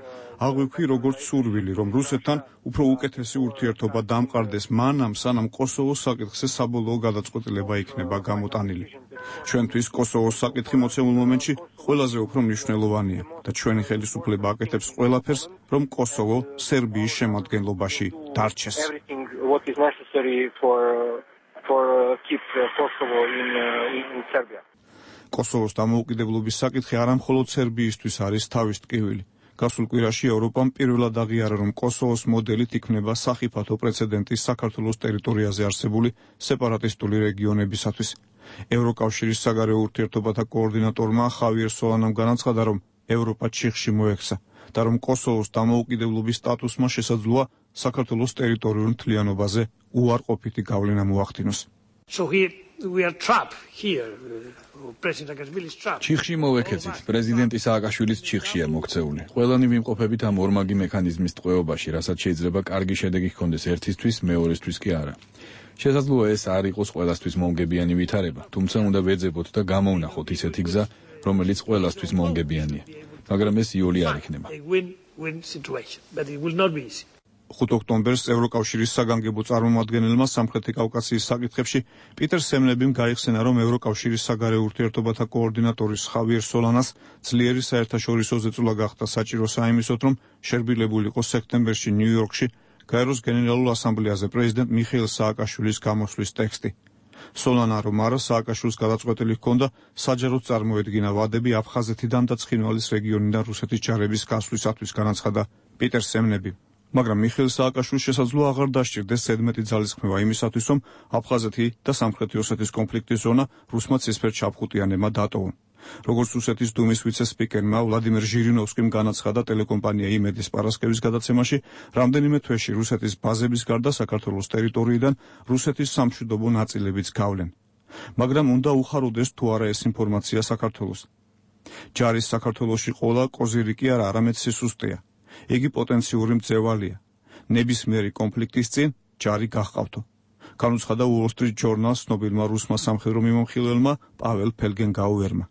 D: აღვიქვი როგორც სურვილი, რომ რუსეთთან უფრო უკეთესი ურთიერთობა დამყარდეს მანამ, სანამ კოსოვოს საკითხზე საბოლოო გადაწყვეტილება იქნება გამოტანილი. ჩვენთვის კოსოვოს საკითხი მოცემულ მომენტში ყველაზე უფრო მნიშვნელოვანია და ჩვენი ხელისუფლება აკეთებს ყველაფერს, რომ კოსოვო სერბიის შემადგენლობაში დარჩეს.
O: Everything what is necessary for for keep Kosovo in in Serbia.
D: კოსოვოს დამოუკიდებლობის საკითხი არამხოლოდ სერბიისთვის არის თავის ტკივილი. გასულ კვირაში ევროპამ პირველად აღიარა, რომ კოსოვოს მოდელით იქნება სახიფათო პრეცედენტი საქართველოს ტერიტორიაზე არსებული სეპარატისტული რეგიონებისათვის. ევროკავშირის საგარეო ურთიერთობათა კოორდინატორმა ხავიერ სოლანამ განაცხადა, რომ ევროპა ჩიხში მოექცა და რომ კოსოვოს დამოუკიდებლობის სტატუსმა შესაძლოა საქართველოს ტერიტორიულ მთლიანობაზე უარყოფითი გავლენა მოახდინოს.
P: So here we are trapped here. President Saakashvili's trapped.
Q: ჩიხში მოვექეცით. პრეზიდენტი სააკაშვილის ჩიხშია მოქცეული. ყველანი ვიმყოფებით ამ ორმაგი მექანიზმის ტყვეობაში, რასაც შეიძლება კარგი შედეგი ჰქონდეს ერთისთვის, მეორესთვის კი არა. შესაძლოა ეს არ იყოს ყველასთვის მომგებიანი ვითარება, თუმცა უნდა ვეძებოთ და გამოვნახოთ ისეთი გზა, რომელიც ყველასთვის მომგებიანია. მაგრამ ეს იოლი არ იქნება.
P: Win-win situation, but it will not be easy.
D: ხუთი ოქტომბერს ევროკავშირის საგანგებო წარმომადგენელმა სამხრეთი კავკასიის საკითხებში პიტერ სემნებიმ გაიხსენა, რომ ევროკავშირის საგარეო ურთიერთობათა კოორდინატორის ხავიერ სოლანას ძლიერი საერთაშორისო ზეწოლა გახდა საჭირო საიმისოდ, რომ შერბილებულიყო სექტემბერში ნიუ-იორკში გაეროს გენერალურ ასამბლეაზე პრეზიდენტ მიხეილ სააკაშვილის გამოსვლის ტექსტი. სოლანა რომ არა სააკაშვილს გადაწყვეტილი ჰქონდა საჯაროდ წარმოედგინა ვადები აფხაზეთიდან და ცხინვალის რეგიონიდან რუსეთის ჯარების გასვლისათვის, განაცხადა პიტერ სემნებიმ. მაგრამ მიხეილ სააკაშვილს შესაძლოა აღარ დასჭირდეს ზედმეტი ძალისხმევა იმისათვის, რომ აფხაზეთი და სამხრეთი ოსეთის კონფლიქტის ზონა რუსმა ცისფერ ჩაფხუტიანებმა დატოვონ. როგორც რუსეთის დუმის ვიცე-სპიკერმა ვლადიმერ ჟირინოვსკიმ განაცხადა ტელეკომპანია იმედის პარასკევის გადაცემაში, რამდენიმე თვეში რუსეთის ბაზების გარდა საქართველოს ტერიტორიიდან რუსეთის სამშვიდობო ნაწილებიც გავლენ. მაგრამ უნდა უხაროდეს თუ არა ეს ინფორმაცია საქართველოს. ჯარის საქართველოში ყოლა კოზირიკი არა, არამედ სისუსტეა. იგი პოტენციური მძევალია. ნებისმიერი კონფლიქტის წინ ჯარი გაჰყავთო. განუცხადა Wall Street Journal-ს ცნობილმა რუსმა სამხედრო მიმოხილველმა პაվել ფელგენგაუერმა.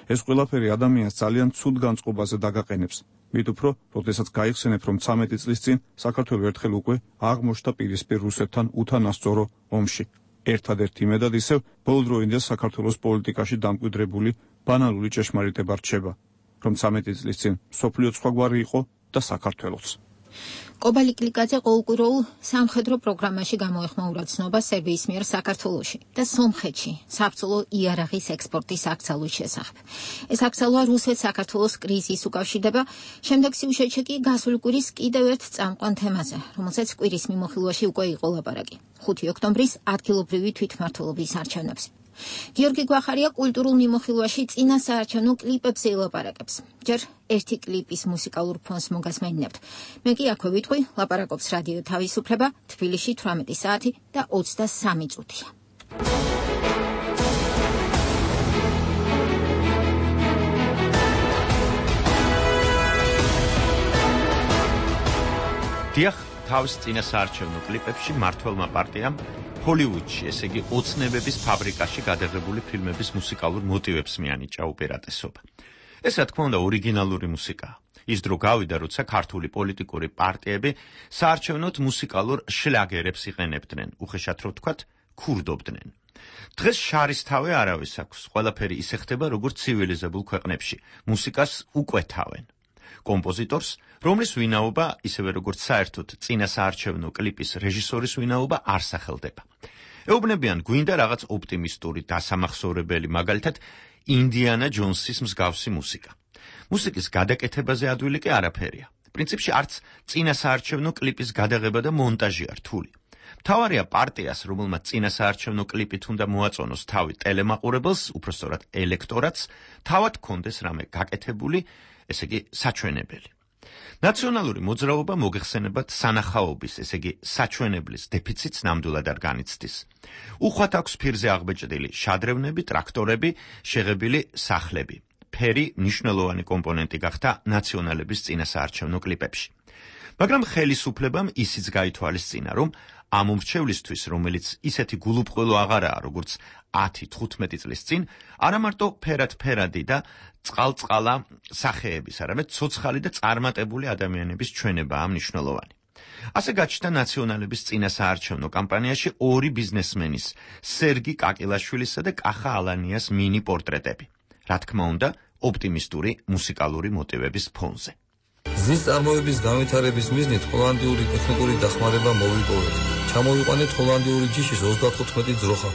D: ეს ყველაფერი ადამიანს ძალიან ცუდ განწყობაზე დაგაყენებს. მით უფრო, როდესაც გაიხსენებ, რომ ცამეტი წლის წინ საქართველო ერთხელ უკვე აღმოჩნდა პირისპირ რუსეთთან უთანასწორო ომში. ერთადერთი იმედად ისევ ბოლოდროინდელ საქართველოს პოლიტიკაში დამკვიდრებული ბანალური ჭეშმარიტება რჩება, რომ ცამეტი წლის წინ სოფლიო სხვაგვარი იყო და საქართველოც.
A: კობალი კლიკაძე ყოველკვირეულ სამხედრო პროგრამაში გამოეხმაურა ცნობა სერბიის მიერ საქართველოში და სომხეთში საბრძოლო იარაღის ექსპორტის აკრძალვის შესახებ. ეს აკრძალვა რუსეთს საქართველოს კრიზისს უკავშირდება, შემდეგ სიუჟეტში კი გასული კვირის კიდევ ერთ წამყვან თემაზე, რომელსაც კვირის მიმოხილვაში უკვე იყო ლაპარაკი. ხუთი ოქტომბრის ადგილობრივი თვითმმართველობის არჩევნებზე. გიორგი გვახარია კულტურულ მიმოხილვაში წინა საარჩევნო კლიპებზე ელაპარაკებს. ჯერ ერთი კლიპის მუსიკალურ ფონს მოგასმენინებთ. მე კი აქვე ვიტყვი, ლაპარაკობს რადიო თავისუფლება, თბილისში თვრამეტი საათი და ოცდასამი წუთია.
R: დიახ, თავის წინა საარჩევნო კლიპებში მართველმა პარტიამ ჰოლივუდში, ესე იგი ოცნებების ფაბრიკაში გადაღებული ფილმების მუსიკალურ მოტივებს მიანიჭა უპირატესობა. ეს რა თქმა უნდა ორიგინალური მუსიკაა. ის დრო გავიდა, როცა ქართული პოლიტიკური პარტიები საარჩევნოდ მუსიკალურ შლაგერებს იყენებდნენ, უხეშად რო ვთქვათ, ქურდობდნენ. დღეს შარისთავე არავის აქვს, ყველაფერი ისე ხდება, როგორც ცივილიზებულ ქვეყნებში. მუსიკას უკვეთავენ. კომპოზიტორს, რომლის ვინაობა, ისევე როგორც საერთოდ წინა საარჩევნო კლიპის რეჟისორის ვინაობა არ სახელდება. ეუბნებიან გვინდა რაღაც ოპტიმისტური დასამახსოვრებელი, მაგალითად ინდიანა ჯონსის მსგავსი მუსიკა. მუსიკის გადაკეთებაზე ადვილი კი არაფერია. პრინციპში არც წინა საარჩევნო კლიპის გადაღება და მონტაჟი არ რთული. მთავარია პარტიას, რომელმაც წინა საარჩევნო კლიპით უნდა მოაწონოს თავი ტელემაყურებელს, უпростоრად ელექტორატს, თავად კონდეს რამე გაკეთებული, ესე იგი საჩვენებელი. ნაციონალური მოძრაობა მოგეხსენებათ სანახაობის, ესე იგი საჩვენებლის დეფიციტს ნამდვილად არ განიცდის. უხვად აქვს ფირზე აღბეჭდილი შადრევნები, ტრაქტორები, შეღებილი სახლები. ფერი მნიშვნელოვანი კომპონენტი გახდა ნაციონალების წინა საარჩევნო კლიპებში. მაგრამ ხელისუფლებამ ისიც გაითვალისწინა, რომ ამ უმრჩევლისთვის, რომელიც ისეთი გულუბრყვილო აღარაა, როგორც ათი თხუთმეტი წლის წინ, არა მარტო ფერად-ფერადი და წყალწყალა სახეების, არამედ ცოცხალი და წარმატებული ადამიანების ჩვენებაა მნიშვნელოვანი. ასე გაჩნდა ნაციონალების წინა საარჩევნო კამპანიაში ორი ბიზნესმენის, სერგი კაკილაშვილისა და კახა ალანიას მინი პორტრეტები. რა თქმა უნდა, ოპტიმისტური მუსიკალური მოტივების ფონზე.
K: ზის წარმოების განვითარების მიზნით ჰოლანდიური ტექნიკური დახმარება მოვიპოვეთ. ჩამოვიყვანეთ ჰოლანდიური ჯიშის ოცდათხუთმეტი ძროხა.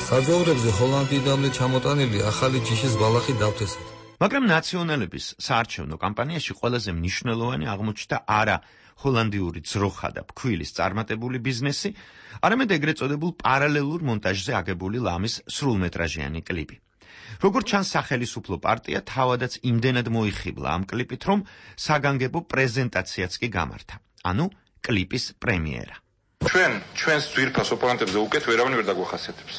K: საძოვრებზე ჰოლანდიიდანვე ჩამოტანილი ახალი ჯიშის ბალახი დავთესეთ.
R: მაგრამ ნაციონალების საარჩევნო კამპანიაში ყველაზე მნიშვნელოვანი აღმოჩნდა არა ჰოლანდიური ძროხა და ფქვილის წარმატებული ბიზნესი, არამედ ეგრეთ წოდებულ პარალელურ მონტაჟზე აგებული ლამის სრულმეტრაჟიანი კლიპი. როგორც ჩანს, სახელისუფლო პარტია თავადაც იმდენად მოიხიბლა ამ კლიპით, რომ საგანგებო პრეზენტაციაც კი გამართა. ანუ კლიპის პრემიერა.
S: ჩვენ ჩვენს ძვირფას ოპონენტებზე უკეთ ვერავინ ვერ დაგვახასიათებს.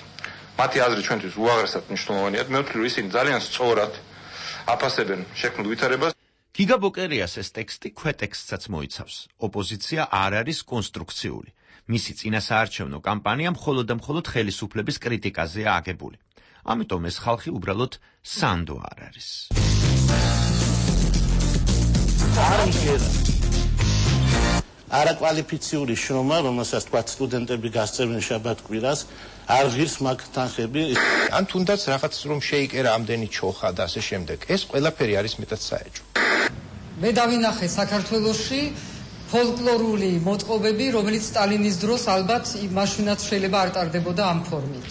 S: მათი აზრი ჩვენთვის უაღრესად მნიშვნელოვანია. მე ვთვლი, რომ ისინი ძალიან სწორად აფასებენ შექმნილ ვითარებას.
R: გიგა ბოკერიას ეს ტექსტი ქვეტექსტსაც მოიცავს. ოპოზიცია არ არის კონსტრუქციული. მისი წინასაარჩევნო კამპანია მხოლოდ და მხოლოდ ხელისუფლების კრიტიკაზეა აგებული. ამიტომ ეს ხალხი უბრალოდ სანდო არ არის.
T: არაკვალიფიციური შრომა, რომელსაც თქვა სტუდენტები გასწევენ შაბათ-კვირას, არ ღირს მაგ თანხები.
U: ან თუნდაც რაღაც რომ შეიკერა ამდენი ჩოხა და ასე შემდეგ. ეს ყველაფერი არის მეტად საეჭვო.
V: მე დავინახე საქართველოში ფოლკლორული მოტყობები, რომელიც სტალინის დროს ალბათ მაშინაც შეიძლება არ ტარდებოდა ამ ფორმით.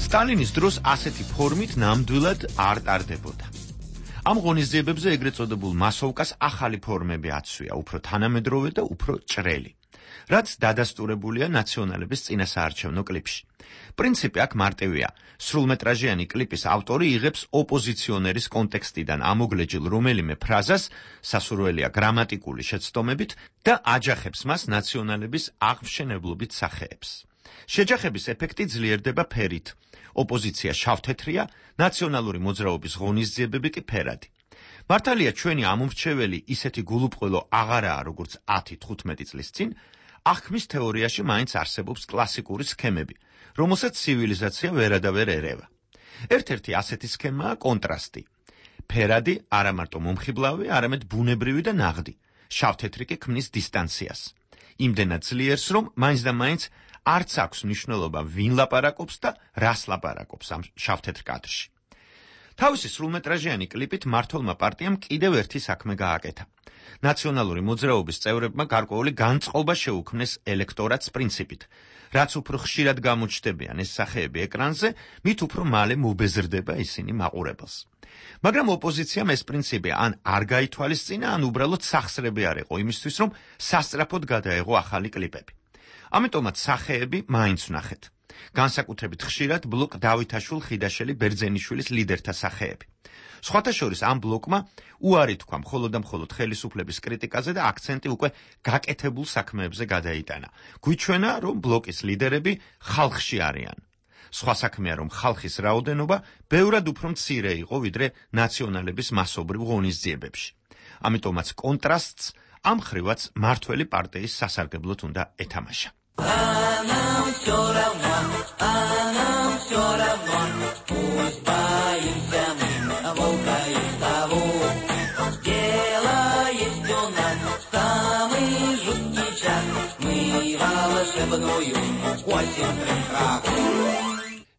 R: სტალინის დროს ასეთი ფორმით ნამდვილად არ ტარდებოდა. ამ ღონისძიებებზე ეგრეთ წოდებულ მასოვკას ახალი ფორმები აცვია, უფრო თანამედროვე და უფრო ჭრელი, რაც დადასტურებულია ნაციონალების წინასაარჩევნო კლიპში. პრინციპი აქ მარტივია. სრულმეტრაჟიანი კლიპის ავტორი იღებს ოპოზიციონერის კონტექსტიდან ამოგლეჯილ რომელიმე ფრაზას, სასურველია გრამატიკული შეცდომებით და აჯახებს მას ნაციონალების აღმშენებლობით სახეებს. შეჯახების ეფექტი ძლიერდება ფერით. ოპოზიცია შავთეთრია, ნაციონალური მოძრაობის ღონისძიებები კი ფერადი. მართალია ჩვენი ამომრჩეველი ისეთი გულუბრყვილო აღარაა, როგორც ათი თხუთმეტი წლის წინ, აღქმის თეორიაში მაინც არსებობს კლასიკური სქემები, რომელსაც ცივილიზაცია ვერადავერ ერევა. ერთ-ერთი ასეთი სქემაა კონტრასტი. ფერადი არა მარტო მომხიბლავი, არამედ ბუნებრივი და ნაღდი. შავთეთრი კი ქმნის დისტანციას. იმდენად ძლიერს, რომ მაინც და მაინც არც აქვს მნიშვნელობა ვინ ლაპარაკობს და რას ლაპარაკობს ამ შავთეთრ კადრში. თავისი სრულმეტრაჟიანი კლიპით მმართველმა პარტიამ კიდევ ერთი საქმე გააკეთა. ნაციონალური მოძრაობის წევრებმა გარკვეული განწყობა შეუქმნეს ელექტორატს პრინციპით. რაც უფრო ხშირად გამოჩნდებიან ეს სახეები ეკრანზე, მით უფრო მალე მობეზრდება ისინი მაყურებელს. მაგრამ ოპოზიციამ ეს პრინციპი ან არ გაითვალისწინა, ან უბრალოდ სახსრები არ იყო იმისთვის, რომ სასწრაფოდ გადაეღო ახალი კლიპები. ამიტომაც სახეები მაინც ვნახეთ. განსაკუთრებით ხშირად ბლოკ დავითაშვილ ხიდაშელი ბერძენიშვილის ლიდერთა სახეები. სხვათა შორის ამ ბლოკმა უარი თქვა მხოლოდ და მხოლოდ ხელისუფლების კრიტიკაზე და აქცენტი უკვე გაკეთებულ საქმეებზე გადაიტანა. გვიჩვენა, რომ ბლოკის ლიდერები ხალხში არიან. სხვა საქმეა, რომ ხალხის რაოდენობა ბევრად უფრო მცირე იყო, ვიდრე ნაციონალების მასობრივ ღონისძიებებში. ამიტომაც კონტრასტს ამ ხრივაც მართველი პარტიის სასარგებლოდ უნდა ეთამაშა.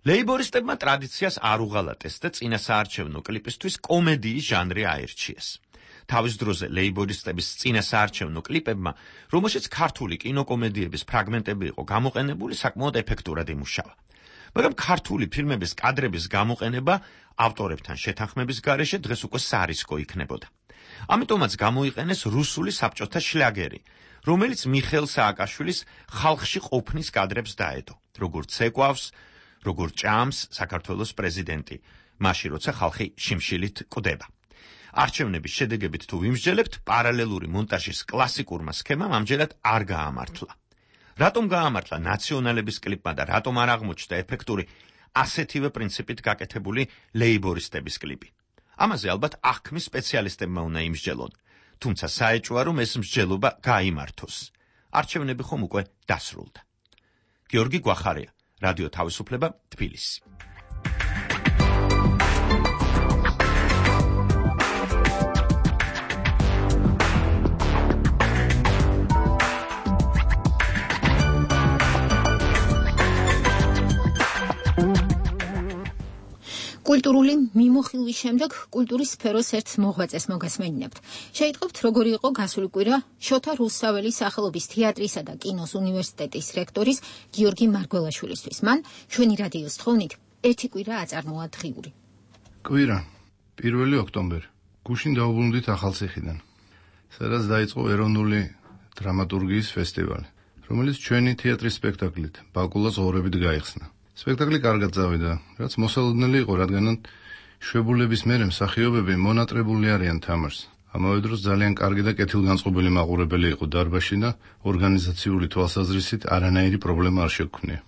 R: ლეიბორისტებმა ტრადიციას არ უღალატეს და წინასაარჩევნო კლიპისთვის კომედიის ჟანრი აირჩიეს. თავის დროზე ლეიბორისტების წინასაარჩევნო კლიპებმა, რომელშიც ქართული კინოკომედიების ფრაგმენტები იყო გამოყენებული, საკმაოდ ეფექტურად იმუშავა. მაგრამ ქართული ფილმების კადრების გამოყენება ავტორებთან შეთანხმების გარეშე დღეს უკვე სარისკო იქნებოდა. ამიტომაც გამოიყენეს რუსული საბჭოთა შლაგერი, რომელიც მიხეილ სააკაშვილის ხალხში ყოფნის კადრებს დაედო, როგორც ეკვავს, როგორც ჭამს საქართველოს პრეზიდენტი, მაშინ როცა ხალხი შიმშილით კვდება. არჩევნების შედეგებით თუ ვიმსჯელებთ, პარალელური მონტაჟის კლასიკურმა სქემამ ამჯერად არ გაამართლა. რატომ გაამართლა ნაციონალების კლიპმა და რატომ არ აღმოჩნდა ეფექტური ასეთივე პრინციპით გაკეთებული ლეიბორისტების კლიპი? ამაზე ალბათ აღქმის სპეციალისტებმა უნდა იმსჯელონ, თუმცა საეჭვოა, რომ ეს მსჯელობა გაიმართოს. არჩევნები ხომ უკვე დასრულდა. გიორგი გვახარია, რადიო თავისუფლება, თბილისი.
A: კულტურული მიმოხილვის შემდეგ კულტურის სფეროს ერთ მოღვაწეს მოგესმენინებთ. შეიტყობთ, როგორი იყო გასული კვირა შოთა რუსთაველის სახელობის თეატრისა და კინოს უნივერსიტეტის რექტორის გიორგი მარგველაშვილისთვის. მან ჩვენი რადიოს თხოვნით ერთი კვირა აწარმოა დღიური.
E: კვირა პირველი ოქტომბერი. გუშინ დაუბრუნდით ახალციხიდან, სადაც დაიწყო ეროვნული დრამატურგიის ფესტივალი, რომელიც ჩვენი თეატრის სპექტაკლით ბაკულას ღორებით გაიხსნა. სპექტაკლი კარგად წავიდა, რაც მოსალოდნელი იყო, რადგან შვებულების მერე მსახიობები მონატრებული არიან თამაშს. ამავე დროს ძალიან კარგი და კეთილგანწყობილი მაყურებელი იყო დარბაზში და ორგანიზაციული თვალსაზრისით არანაირი პრობლემა არ შეგვქნია.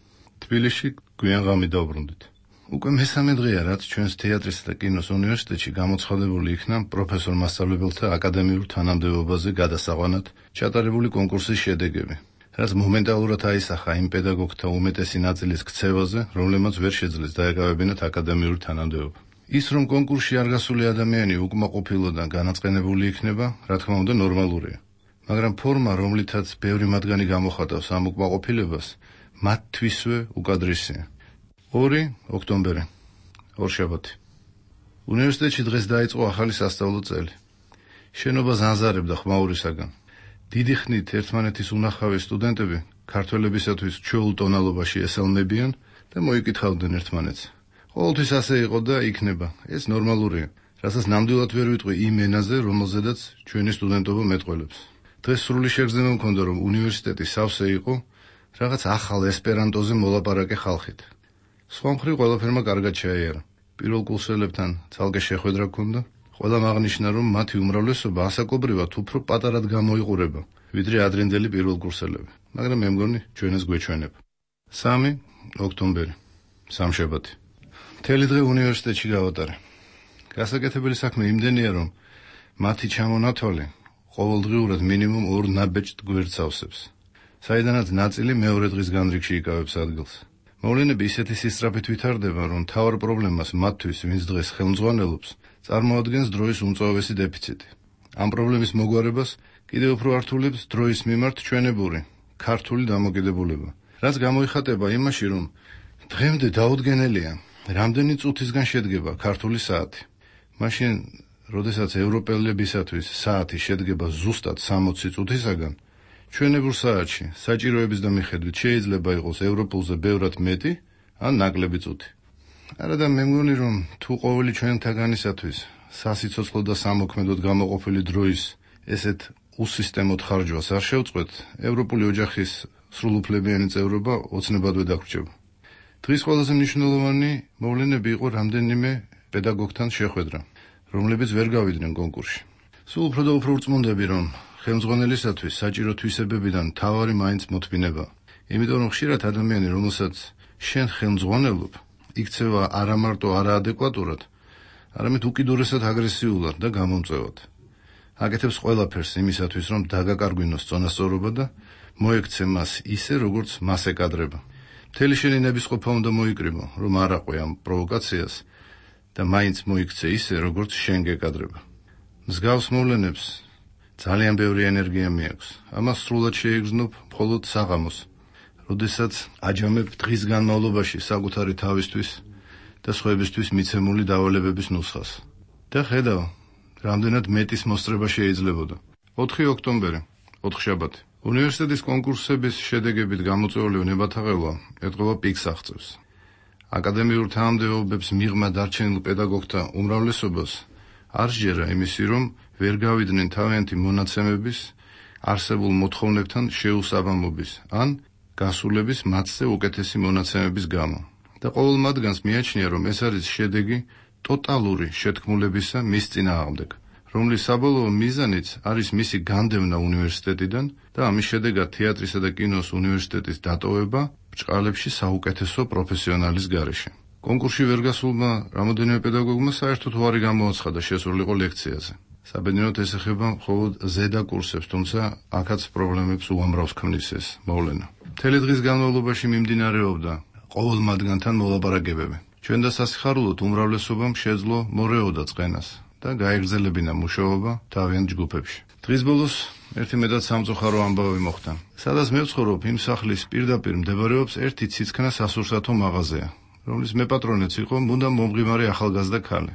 E: თბილისში გვიან ღამე დავბრუნდით. უკვე მესამე დღეა, რაც ჩვენს თეატრისა და კინოს უნივერსიტეტში გამოცხადებული იქნა პროფესორ მასწავლებელთა აკადემიურ თანამდებობაზე გადასაყვანად ჩატარებული კონკურსის შედეგები, რაც მომენტალურად აისახა იმ პედაგოგთა უმეტესი ნაწილის ქცევაზე, რომლებმაც ვერ შეძლეს დაეკავებინათ აკადემიური თანამდებობა. ის, რომ კონკურსში არ გასული ადამიანი უკმაყოფილო და განაწყენებული იქნება, რა თქმა უნდა, ნორმალურია. მაგრამ ფორმა, რომლითაც ბევრი მათგანი გამოხატავს ამ უკმაყოფილებას, მათთვისვე უკადრისია. ორი ოქტომბერი, ორშაბათი. უნივერსიტეტში დღეს დაიწყო ახალი სასწავლო წელი. შენობა ზანზარებდა ხმაურისაგან. დიდი ხნით ერთმანეთის უნახავი სტუდენტები ქართველებისათვის ჩვეულ ტონალობაში ესალმებიან და მოიკითხავდნენ ერთმანეთს. ყოველთვის ასე იყო და იქნება. ეს ნორმალურია, რასაც ნამდვილად ვერ ვიტყვი იმ ენაზე, რომელზედაც ჩვენი სტუდენტობა მეტყველებს. დღეს სრული შეგრძნება მქონდა, რომ უნივერსიტეტი სავსე იყო რაღაც ახალ ესპერანტოზე მოლაპარაკე ხალხით. სხვა მხრივ ყველაფერმა კარგად ჩაიარა. პირველ კურსელებთან ცალკე შეხვედრა ჰქონდა. ყველამ აღნიშნა, რომ მათი უმრავლესობა ასაკობრივად უფრო პატარად გამოიყურება, ვიდრე ადრინდელი პირველ კურსელები, მაგრამ მე მგონი ჩვენს გვეჩვენება. სამი ოქტომბერი, სამშაბათი. მთელი დღე უნივერსიტეტში გავატარე. გასაკეთებელი საქმე იმდენია, რომ მათი ჩამონათვალი ყოველდღიურად მინიმუმ ორ ნაბეჭდ გვერდს ავსებს, საიდანაც ნაწილი მეორე დღის განრიგში იკავებს ადგილს. მოვლენები ისეთი სისწრაფით ვითარდება, რომ მთავარ პრობლემას მათთვის, ვინც დღეს ხელმძღვანელობს, წარმოადგენს დროის უმწვავესი დეფიციტი. ამ პრობლემის მოგვარებას კიდევ უფრო ართულებს დროის მიმართ ჩვენებური, ქართული დამოკიდებულება, რაც გამოიხატება იმაში, რომ დღემდე დაუდგენელია, რამდენი წუთისგან შედგება ქართული საათი. მაშინ, როდესაც ევროპელებისათვის საათი შედგება ზუსტად სამოცი წუთისაგან, ჩვენებურ საათში საჭიროების და მიხედვით შეიძლება იყოს ევროპულზე ბევრად მეტი ან ნაკლები წუთი. არა და მე მგონი, რომ თუ ყოველი ჩვენთაგანისათვის სასიცოცხლო და სამოქმედოდ გამოყოფილი დროის ესეთ უსისტემოდ ხარჯვას არ შევწყვეთ, ევროპული ოჯახის სრულუფლებიანი წევრობა ოცნებადვე დაგვრჩება. დღის ყველაზე მნიშვნელოვანი მოვლენები იყო რამდენიმე პედაგოგთან შეხვედრა, რომლებიც ვერ გავიდნენ კონკურსში. სულ უფრო და უფრო ვრწმუნდები, რომ ხელმძღვანელისათვის საჭირო თვისებებიდან მთავარი მაინც მოთმინება. იმიტომ რომ ხშირად ადამიანი, რომელსაც შენ ხელმძღვანელობ, იქცევა არა მარტო არაადეკვატურად, არამედ უკიდურესად აგრესიულად და გამომწვევად. აკეთებს ყველაფერს იმისათვის, რომ დაგაკარგვინოს წონასწორობა და მოექცე მას ისე, როგორც მას ეკადრება. მთელი შენი ნებისყოფა უნდა მოიკრიბო, რომ არ აყვე ამ პროვოკაციას და მაინც მოიქცე ისე, როგორც შენ გეკადრება. მსგავს მოვლენებს ძალიან ბევრი ენერგია მიაქვს. ამას სრულად შეიგრძნობ მხოლოდ საღამოს, როდესაც აჯამებ დღის განმავლობაში საკუთარი თავისთვის და სხვებისთვის მიცემული დავალებების ნუსხას. და ხედავ, რამდენად მეტის მოსწრება შეიძლებოდა. ოთხი ოქტომბერი, ოთხშაბათი. უნივერსიტეტის კონკურსების შედეგებით გამოწვეული ნებათაღელვა ეტყობა პიკს აღწევს. აკადემიურ თანამდებობებს მიღმა დარჩენილ პედაგოგთა უმრავლესობას არ სჯერა იმისი, რომ ვერ გავიდნენ თავიანთი მონაცემების არსებულ მოთხოვნებთან შეუსაბამობის ან გასულების მათზე უკეთესი მონაცემების გამო. და ყოველ მათგანს მიაჩნია, რომ ეს არის შედეგი ტოტალური შეთქმულებისა მის წინააღმდეგ, რომლის საბოლოო მიზანიც არის მისი განდევნა უნივერსიტეტიდან და ამის შედეგად თეატრისა და კინოს უნივერსიტეტის დატოვება ბრჭყალებში საუკეთესო პროფესიონალის გარეშე. კონკურსში ვერ გასულმა რამოდენიმე პედაგოგმა საერთოდ უარი გამოაცხადა შესულიყო ლექციაზე. საბედნიეროდ ეს ეხება მხოლოდ ზედა კურსებს, თუმცა აქაც პრობლემებს უამრავს ქმნის ეს მოვლენა. მთელი დღის განმავლობაში მიმდინარეობდა ყოველ მათგანთან მოლაპარაკებები. ჩვენ და სასიხარულოდ უმრავლესობამ შეძლო მორეოდა წყენას და გაეგრძელებინა მუშაობა თავიანთ ჯგუფებში. დღის ბოლოს ერთი მეტად სამწუხარო ამბავი მოხდა. სადაც მე ვცხოვრობ, იმ სახლის პირდაპირ მდებარეობს ერთი ციცქნა სასურსათო მაღაზია, რომლის მეპატრონეც იყო მუდამ მომღიმარი ახალგაზრდა ქალი,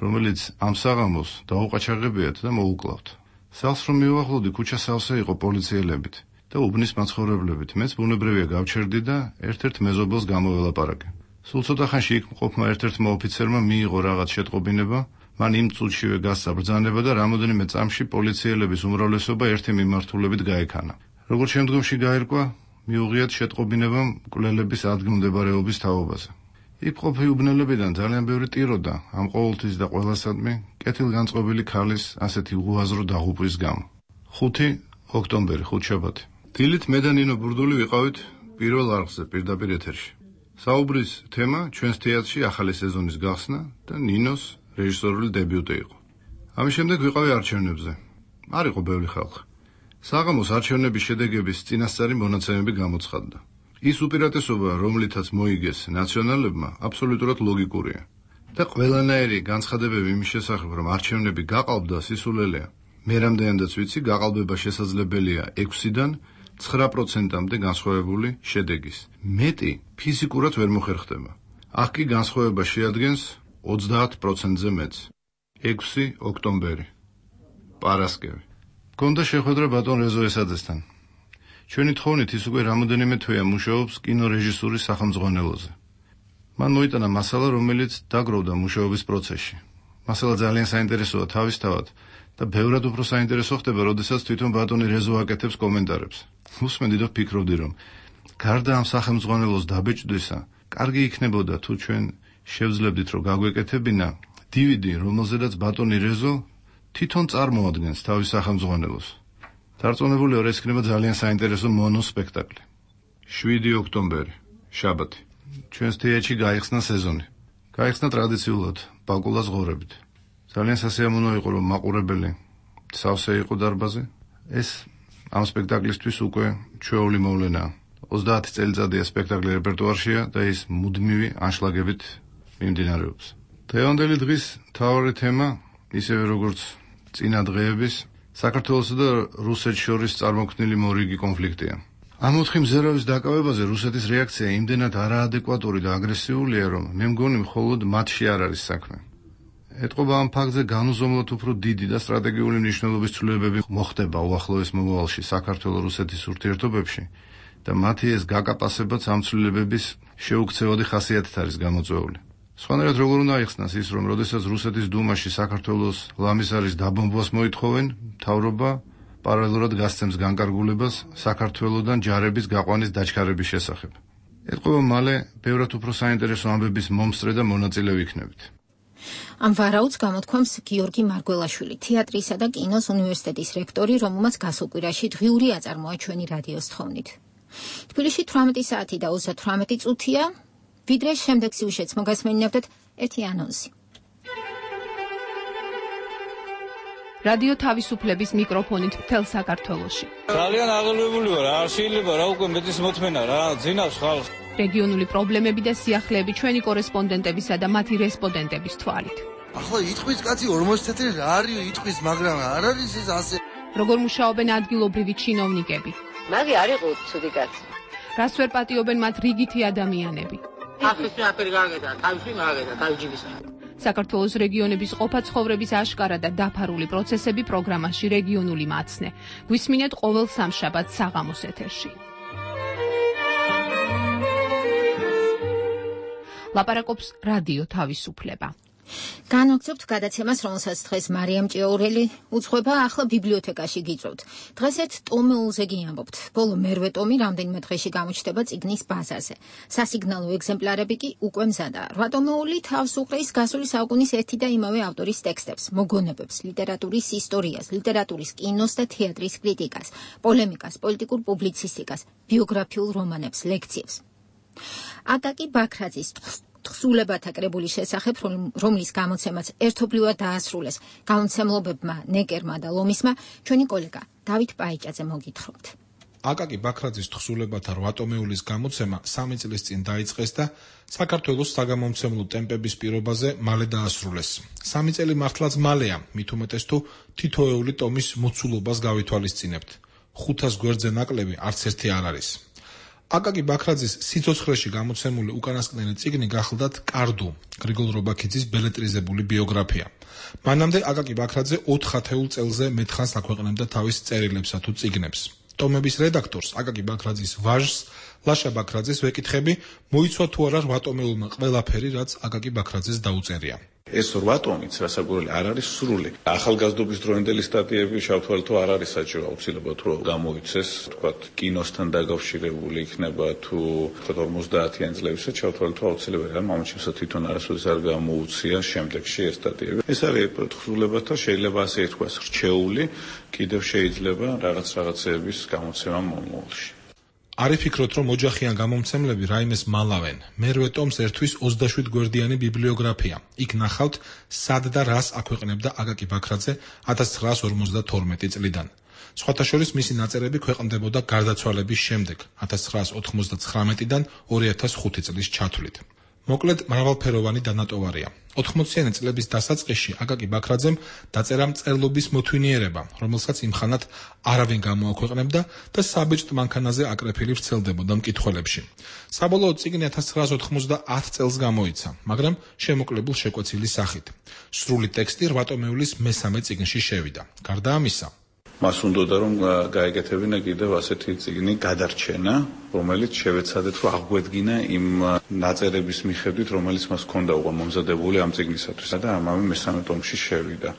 E: რომელიც ამ საღამოს დაუყაჩაღებიათ და მოუკლავთ. სახლს რომ მივახლოვდი, ქუჩა სავსე იყო პოლიციელებით და უბნის მაცხოვრებლებით. მეც ბუნებრივია გავჩერდი და ერთ-ერთ მეზობელს გამოველაპარაკე. სულ ცოტა ხანში იქ მყოფმა ერთ-ერთმა ოფიცერმა მიიღო რაღაც შეტყობინება, მან იმ წუთშივე გასცა ბრძანება და რამოდენიმე წამში პოლიციელების უმრავლესობა ერთი მიმართულებით გაექანა. როგორც შემდგომში გაირკვა, მიუღიათ შეტყობინებამ მკვლელების ადგილმდებარეობის თაობაზე. იქ მყოფი უბნელებიდან ძალიან ბევრი ტიროდა ამ ყოველთვის და ყველასადმი კეთილგანწყობილი ქალის ასეთი უაზრო დაღუპვის გამო. ხუთი ოქტომბერი, ხუთშაბათი. დილით მე და ნინო ბურდული ვიყავით პირველ არხზე პირდაპირ ეთერში. საუბრის თემა ჩვენს თეატრში ახალი სეზონის გახსნა და ნინოს რეჟისორული დებიუტი იყო. ამის შემდეგ ვიყავი არჩევნებზე. არ იყო ბევრი ხალხი. საღამოს არჩევნების შედეგების წინასწარი მონაცემები გამოცხადდა. ის უპირატესობა, რომლითაც მოიგეს ნაციონალებმა, აბსოლუტურად ლოგიკურია. და ყველანაირი განცხადებები იმის შესახებ, რომ არჩევნები გაყალბდა, სისულელეა. მე რამდენადაც ვიცი, გაყალბება შესაძლებელია ექვსიდან ცხრა პროცენტამდე განსხვავებული შედეგის. მეტი ფიზიკურად ვერ მოხერხდება. აქ კი განსხვავება შეადგენს ოცდაათ პროცენტზე მეტს. ექვსი ოქტომბერი. პარასკევი. გონდა შეხვედრა ბატონ რეზო ესაძესთან. ჩვენი თხოვნით ის უკვე რამოდენიმე თვეა მუშაობს კინორეჟისურის სახელმძღვანელოზე. მან მოიტანა მასალა, რომელიც დაგროვდა მუშაობის პროცესში. მასალა ძალიან საინტერესოა თავისთავად და ბევრად უფრო საინტერესო ხდება, როდესაც თვითონ ბატონი რეზო აკეთებს კომენტარებს. უსმენდი და ვფიქრობდი, რომ გარდა ამ სახელმძღვანელოს დაბეჭდვისა, კარგი იქნებოდა თუ ჩვენ შევძლებდით, რომ გაგვეკეთებინა დი ვი დი, რომელზედაც ბატონი რეზო თვითონ წარმოადგენს თავის სახელმძღვანელოს. დარწმუნებული ვარ, ეს იქნება ძალიან საინტერესო მონოსპექტაკლი. შვიდი ოქტომბერი, შაბათი. ჩვენს თეატრში გაიხსნა სეზონი. გაიხსნა ტრადიციულად ბაკულას ღორებით. ძალიან სასიამოვნო იყო, რომ მაყურებელი სავსე იყო დარბაზი. ეს ამ სპექტაკლისთვის უკვე ჩვეული მოვლენაა. ოცდაათი წელიწადია სპექტაკლი რეპერტუარშია და ის მუდმივი ანშლაგებით მიმდინარეობს. დღევანდელი დღის მთავარი თემა, ისევე როგორც წინა დღეების, საქართველოსა და რუსეთს შორის წარმოქმნილი მორიგი კონფლიქტია. ამ ოთხი მზერავის დაკავებაზე რუსეთის რეაქცია იმდენად არაადეკვატური და აგრესიულია, რომ მე მგონი მხოლოდ მათში არ არის საქმე. ეტყობა ამ ფაქტზე განუზომლოდ უფრო დიდი და სტრატეგიული მნიშვნელობის ცვლილებები მოხდება უახლოეს მომავალში საქართველო-რუსეთის ურთიერთობებში და მათი ეს გაკაპასებაც ამ ცვლილებების შეუქცევადი ხასიათით არის გამოწვეული. სხვანაირად როგორ უნდა აიხსნას ის, რომ როდესაც რუსეთის დუმაში საქართველოს ლამისარის დაბომბვას მოითხოვენ, მთავრობა პარალელურად გასცემს განკარგულებას საქართველოდან ჯარების გაყვანის დაჩქარების შესახებ. ეტყობა მალე ბევრად უფრო საინტერესო ამბების მომსწრე და მონაწილე ვიქნებით.
A: ამ ვარაუდს გამოთქვამს გიორგი მარგველაშვილი, თეატრისა და კინოს უნივერსიტეტის რექტორი, რომელმაც გასულ კვირაში დღიური აწარმოა ჩვენი რადიოს თხოვნით. თბილისში თვრამეტი საათი და ოცდათვრამეტი წუთია, ვიდრე შემდეგ სიუჟეტს მოგასმენინებდეთ ერთი ანონსი.
H: რადიო თავისუფლების მიკროფონით მთელ საქართველოში.
K: ძალიან აღელვებული ვარ, არ შეიძლება რა უკვე მეტის მოთმენა რა, ძინავს ხალხს.
H: რეგიონული პრობლემები და სიახლეები ჩვენი კორესპონდენტებისა და მათი რესპონდენტების თვალით.
B: ახლა იტყვის კაცი ორმოცი თეთრი რა არის იტყვის, მაგრამ არ არის ეს ასე.
H: როგორ მუშაობენ ადგილობრივი ჩინოვნიკები?
C: მაგი არ იყო ცუდი კაცი.
H: რას ვერ პატიობენ მათ რიგითი ადამიანები?
C: ახის ნაფერი გაგედა, თავში მაგედა, თავჯიბისა.
H: საქართველოს რეგიონების ყოფა ცხოვრების აშკარა და დაფარული პროცესები პროგრამაში რეგიონული მაცნე. გვისმინეთ ყოველ სამშაბათს საღამოს ეთერში. ლაპარაკობს რადიო თავისუფლება.
A: განვაგრძობთ გადაცემას, რომელსაც დღეს მარიამ ჭიაურელი უძღვება, ახლა ბიბლიოთეკაში გიწევთ. დღეს ერთ ტომეულზე გიამბობთ. ბოლო მერვე ტომი რამდენიმე დღეში გამოჩნდება წიგნის ბაზარზე. სასიგნალო ეგზემპლარები კი უკვე მზადაა. რვა ტომეული თავს უყრის გასული საუკუნის ერთი და იმავე ავტორის ტექსტებს, მოგონებებს, ლიტერატურის ისტორიას, ლიტერატურის, კინოს და თეატრის კრიტიკას, პოლემიკას, პოლიტიკურ პუბლიცისტიკას, ბიოგრაფიულ რომანებს, ლექციებს. აკაკი ბაქრაძის თხზულებათა კრებულის შესახებ, რომლის გამოცემაც ერთობლივად დაასრულეს გამომცემლობებმა ნეკერმა და ლომისმა, ჩვენი კოლეგა დავით პაიჭაძე მოგითხრობთ.
W: აკაკი ბაქრაძის თხზულებათა რვა ტომეულის გამოცემა სამი წლის წინ დაიწყეს და საქართველოს საგამომცემლო ტემპების პირობაზე მალე დაასრულეს. სამი წელი მართლაც მალეა, მით უმეტეს თუ თითოეული ტომის მოცულობას გავითვალისწინებთ. ხუთას გვერდზე ნაკლები არც ერთი არ არის. აკაკი ბაქრაძის სიცოცხლეში გამოცემული უკანასკნელი წიგნი გახლდათ კარდუ, გრიგოლ რობაქიძის ბელეტრიზებული ბიოგრაფია. მანამდე აკაკი ბაქრაძე ოთხ ათეულ წელზე მეთხანს აქვეყნებდა თავის წერილებსა თუ წიგნებს. ტომების რედაქტორს აკაკი ბაქრაძის ვაჟს, ლაშა ბაქრაძეს ვეკითხები, მოიცვა თუ არა რვატომეულმა ყველაფერი, რაც აკაკი ბაქრაძეს დაუწერია.
F: ეს რვატომიც რასაკვირველი არ არის სრული. ახალგაზრდობის დროინდელი სტატიები შავთვალე თუ არ არის საჭირო აუცილებლად რომ გამოიცეს, თქვათ, კინოსთან დაკავშირებული იქნება თუ თქვათ ორმოცდაათიან წლებისა შავთვალე თუ აუცილებელი არ მომჩნევს თვითონ არასოდეს არ გამოუცია შემდეგში ეს სტატიები. ეს არის თხზულებათა შეიძლება ასე ითქვას რჩეული, კიდევ შეიძლება რაღაც რაღაცეების გამოცემა მომავალში.
W: არ იფიქროთ, რომ ოჯახიან გამომცემლები რაიმეს მალავენ. მერვე ტომს ერთვის ოცდაშვიდ გვერდიანი ბიბლიოგრაფია. იქ ნახავთ, სად და რას აქვეყნებდა აკაკი ბაქრაძე ათას ცხრაას ორმოცდათორმეტი წლიდან. სხვათა შორის მისი ნაწერები ქვეყნდებოდა გარდაცვალების შემდეგ, ათას ცხრაას ოთხმოცდაცხრამეტიდან ორი ათას ხუთი წლის ჩათვლით. მოკლედ, მრავალფეროვანი დანატოვარია. ოთხმოციანი წლების დასაწყისში აკაკი ბაქრაძემ დაწერა მწერლობის მოთვინიერება, რომელსაც იმხანად არავინ გამოაქვეყნებდა და საბეჭდ მანქანაზე აკრეფილი ვრცელდებოდა მკითხველებში. საბოლოოდ წიგნი ათას ცხრაას ოთხმოცდაათ წელს გამოიცა, მაგრამ შემოკლებულ შეკვეცილი სახით. სრული ტექსტი რვატომეულის მესამე წიგნში შევიდა. გარდა ამისა,
F: მას უნდოდა რომ გაეკეთებინა კიდევ ასეთი წიგნი გადარჩენა, რომელიც შევეცადეთ რომ აღგვედგინა იმ ნაწერების მიხედვით, რომელიც მას ჰქონდა უკვე მომზადებული ამ წიგნისათვის და ამავე მესამე ტომში შევიდა.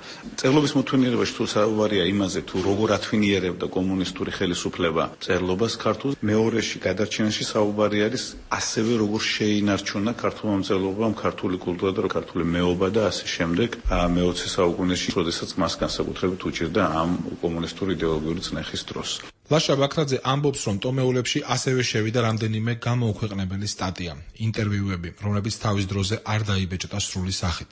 F: წერლობის მოთვინიერებაში თუ საუბარია იმაზე, თუ როგორ ათვინიერებდა კომუნისტური ხელისუფლება წერლობას ქართულს, მეორეში გადარჩენაში საუბარი არის ასევე როგორ შეინარჩუნა ქართულმა მწერლობამ ქართული კულტურა და ქართული მეობა და ასე შემდეგ მეოცე საუკუნეში, როდესაც მას განსაკუთრებით უჭირდა ამ კომუნისტური იდეოლოგიური წნეხის დროს. ლაშა ბაქრაძე ამბობს, რომ ტომეულებში ასევე შევიდა რამდენიმე გამოუქვეყნებელი სტატია, ინტერვიუები, რომლებიც თავის დროზე არ დაიბეჭდა სრული სახით.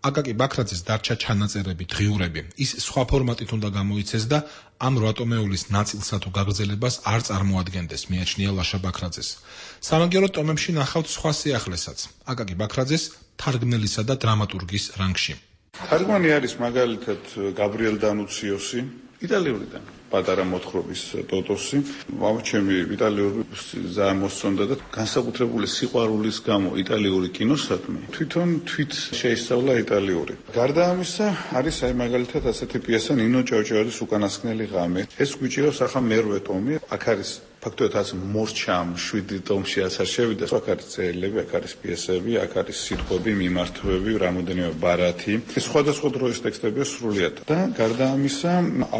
F: აკაკი ბაქრაძეს დარჩა ჩანაწერები, დღიურები, ის სხვა ფორმატით უნდა გამოიცეს და ამ რვატომეულის ნაწილსა თუ გაგრძელებას არ წარმოადგენდეს, მიაჩნია ლაშა ბაქრაძეს. სამაგიეროდ ტომებში ნახავთ სხვა სიახლესაც, აკაკი ბაქრაძეს თარგმნელისა და დრამატურგის რანგში. თარგმანი არის მაგალითად გაბრიელ დანუციოსი, იტალიურიდან პატარა მოთხრობის ტოტოსი. მამჩემი იტალიური ძალიან მოსწონდა და განსაკუთრებული სიყვარულის გამო იტალიური კინოსადმი თვითონ თვით შეისწავლა იტალიური. გარდა ამისა, არის აი მაგალითად ასეთი პიესა ნინო ჭავჭავაძის უკანასკნელი ღამე. ეს გვიჭირავს ახლა მერვე ტომი. აქ არის ფაქტობრივად ასე მორჩამ შვიდი ტომში ასარ შევიდა. აქ არის წერილები, აქ არის პიესები, აქ არის სიტყვები, მიმართვები, რამოდენიმე ბარათი. ეს სხვადასხვა დროის ტექსტებია სრულიად. და გარდა ამისა,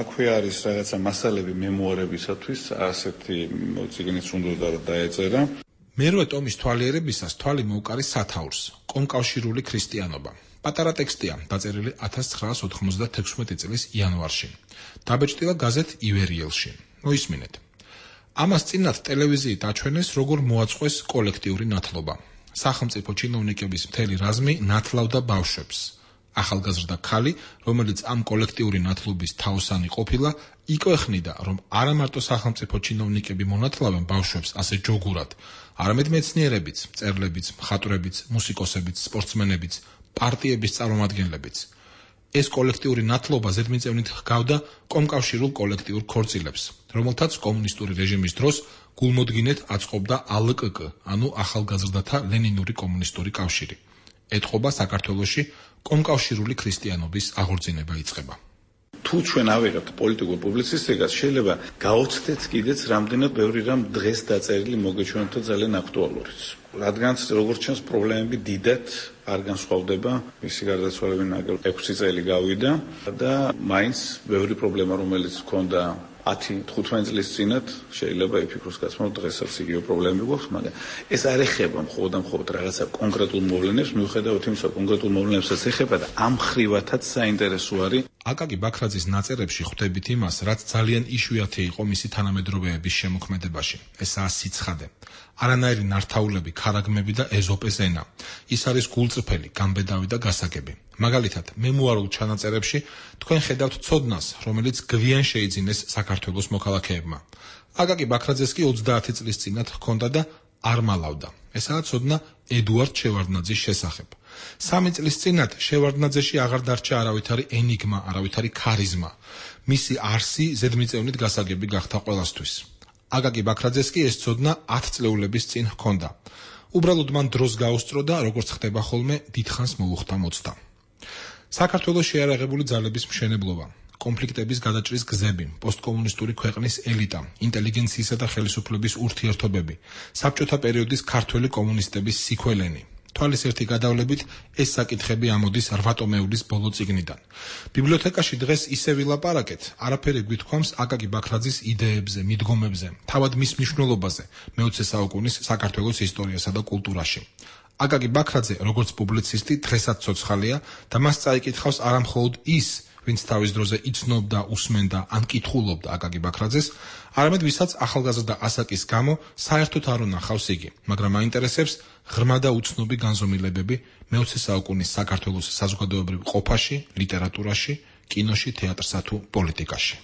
F: აქვე არის რაღაცა მასალები მემუარებისათვის, ასეთი წიგნიც უნდა დაეწერა.
W: მერვე ტომის თვალიერებისას თვალი მოუკარი სათაურს, კომკავშირული ქრისტიანობა. პატარა ტექსტია, დაწერილი ათას ცხრაას ოთხმოცდათექვსმეტი წლის იანვარში. დაბეჭდილა გაზეთ ივერიელში. მოისმინეთ. ამას წინათ ტელევიზიით აჩვენეს, როგორ მოაწყვეს კოლექტიური ნათლობა. სახელმწიფო ჩინოვნიკების მთელი რაზმი ნათლავდა ბავშვებს. ახალგაზრდა ქალი, რომელიც ამ კოლექტიური ნათლობის თაოსანი ყოფილა, იკვეხნიდა, რომ არა მარტო სახელმწიფო ჩინოვნიკები მონათლავენ ბავშვებს ასე ჯოგურად, არამედ მეცნიერებიც, მწერლებიც, მხატვრებიც, მუსიკოსებიც, სპორტსმენებიც, პარტიების წარმომადგენლებიც. ეს კოლექტიური ნათლობა ზედმიწევნით ჰგავდა კომკავშირულ კოლექტიურ ქორწილებს, რომელთაც კომუნისტური რეჟიმის დროს გულმოდგინედ აწყობდა ა ელ კე კე, ანუ ახალგაზრდათა ლენინური კომუნისტური კავშირი. ეთყობა საქართველოში კომკავშირული ქრისტიანობის აღორძინება იწყება.
F: თუ ჩვენ ავიღებთ პოლიტიკურ პუბლიცისტიკას, შეიძლება გაოცდეთ კიდეც რამდენად ბევრი რამ დღეს დაწერილი მოგეჩვენოთ და ძალიან აქტუალურიც. რადგანაც როგორც ჩანს პრობლემები დიდად არ განსხვავდება, მისი გარდაცვალების ნაკლებად ექვსი წელი გავიდა და მაინც ბევრი პრობლემა, რომელიც ჰქონდა ათი თხუთმეტი წლის წინათ, შეიძლება იფიქროს კაცმა, რომ დღესაც იგივე პრობლემები გვაქვს, მაგრამ ეს არ ეხება მხოლოდ და მხოლოდ რაღაცა კონკრეტულ მოვლენებს, მიუხედავად იმისა, კონკრეტულ მოვლენებსაც ეხება და ამ ხრივათაც საინტერესო არის.
W: აკაკი ბაქრაძის ნაწერებში ხვდებით იმას, რაც ძალიან იშვიათი იყო მისი თანამედროვეების შემოქმედებაში. ესაა სიცხადე. არანაირი ნართაულები, ქარაგმები და ეზოპეს ენა. ის არის გულწრფელი, გამბედავი და გასაგები. მაგალითად, მემუარულ ჩანაწერებში თქვენ ხედავთ ცოდნას, რომელიც გვიან შეიძინეს საქართველოს მოქალაქეებმა. აკაკი ბაქრაძეს კი ოცდაათი წლის წინათ ჰქონდა და არ მალავდა. ესაა ცოდნა ედუარდ შევარდნაძის შესახებ. სამი წლის წინათ შევარდნაძეში აღარ დარჩა არავითარი ენიგმა, არავითარი ქარიზმა. მისი არსი ზედმიწევნით გასაგები გახდა ყველასთვის. აკაკი ბაქრაძეს კი ეს ცოდნა ათ წლეულების წინ ჰქონდა. უბრალოდ მან დროს გაუსწრო და როგორც ხდება ხოლმე, დიდხანს მოუხდა მოცდა. საქართველოს შეიარაღებული ძალების მშენებლობა, კონფლიქტების გადაჭრის გზები, პოსტკომუნისტური ქვეყნის ელიტა, ინტელიგენციისა და ხელისუფლების ურთიერთობები, საბჭოთა პერიოდის ქართველი კომუნისტების სიქველენი. თვალის ერთი გადავლებით ეს საკითხები ამოდის რვატომეულის ბოლო წიგნიდან. ბიბლიოთეკაში დღეს ისე ვილაპარაკეთ, არაფერი გვითქვამს აკაკი ბაქრაძის იდეებზე, მიდგომებზე, თავად მის მნიშვნელობაზე მეოცე საუკუნის საქართველოს ისტორიასა და კულტურაში. აკაკი ბაქრაძე, როგორც პუბლიცისტი, დღესაც ცოცხალია და მას წაიკითხავს არამხოლოდ ის, ვინც თავის დროზე იცნობდა, უსმენდა ან კითხულობდა აკაკი ბაქრაძეს, არამედ ვისაც ახალგაზრდა ასაკის გამო საერთოდ არ უნახავს იგი, მაგრამ აინტერესებს ღრმა და უცნობი განზომილებები მეოცე საუკუნის საქართველოს საზოგადოებრივ ყოფაში, ლიტერატურაში, კინოში, თეატრსა თუ პოლიტიკაში.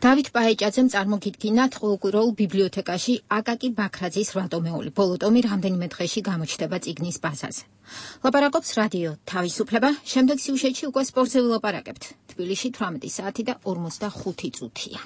A: დავით პაეჭაძემ წარმოგიდგინათ ყოველკვირეულ ბიბლიოთეკაში აკაკი ბაქრაძის რვატომეული. ბოლო ტომი რამდენიმე დღეში გამოჩნდება წიგნის ბაზაზე. ლაპარაკობს რადიო თავისუფლება, შემდეგ სიუჟეტში უკვე სპორტზე ვილაპარაკებთ. თბილისში თვრამეტი საათი და ორმოცდახუთი წუთია.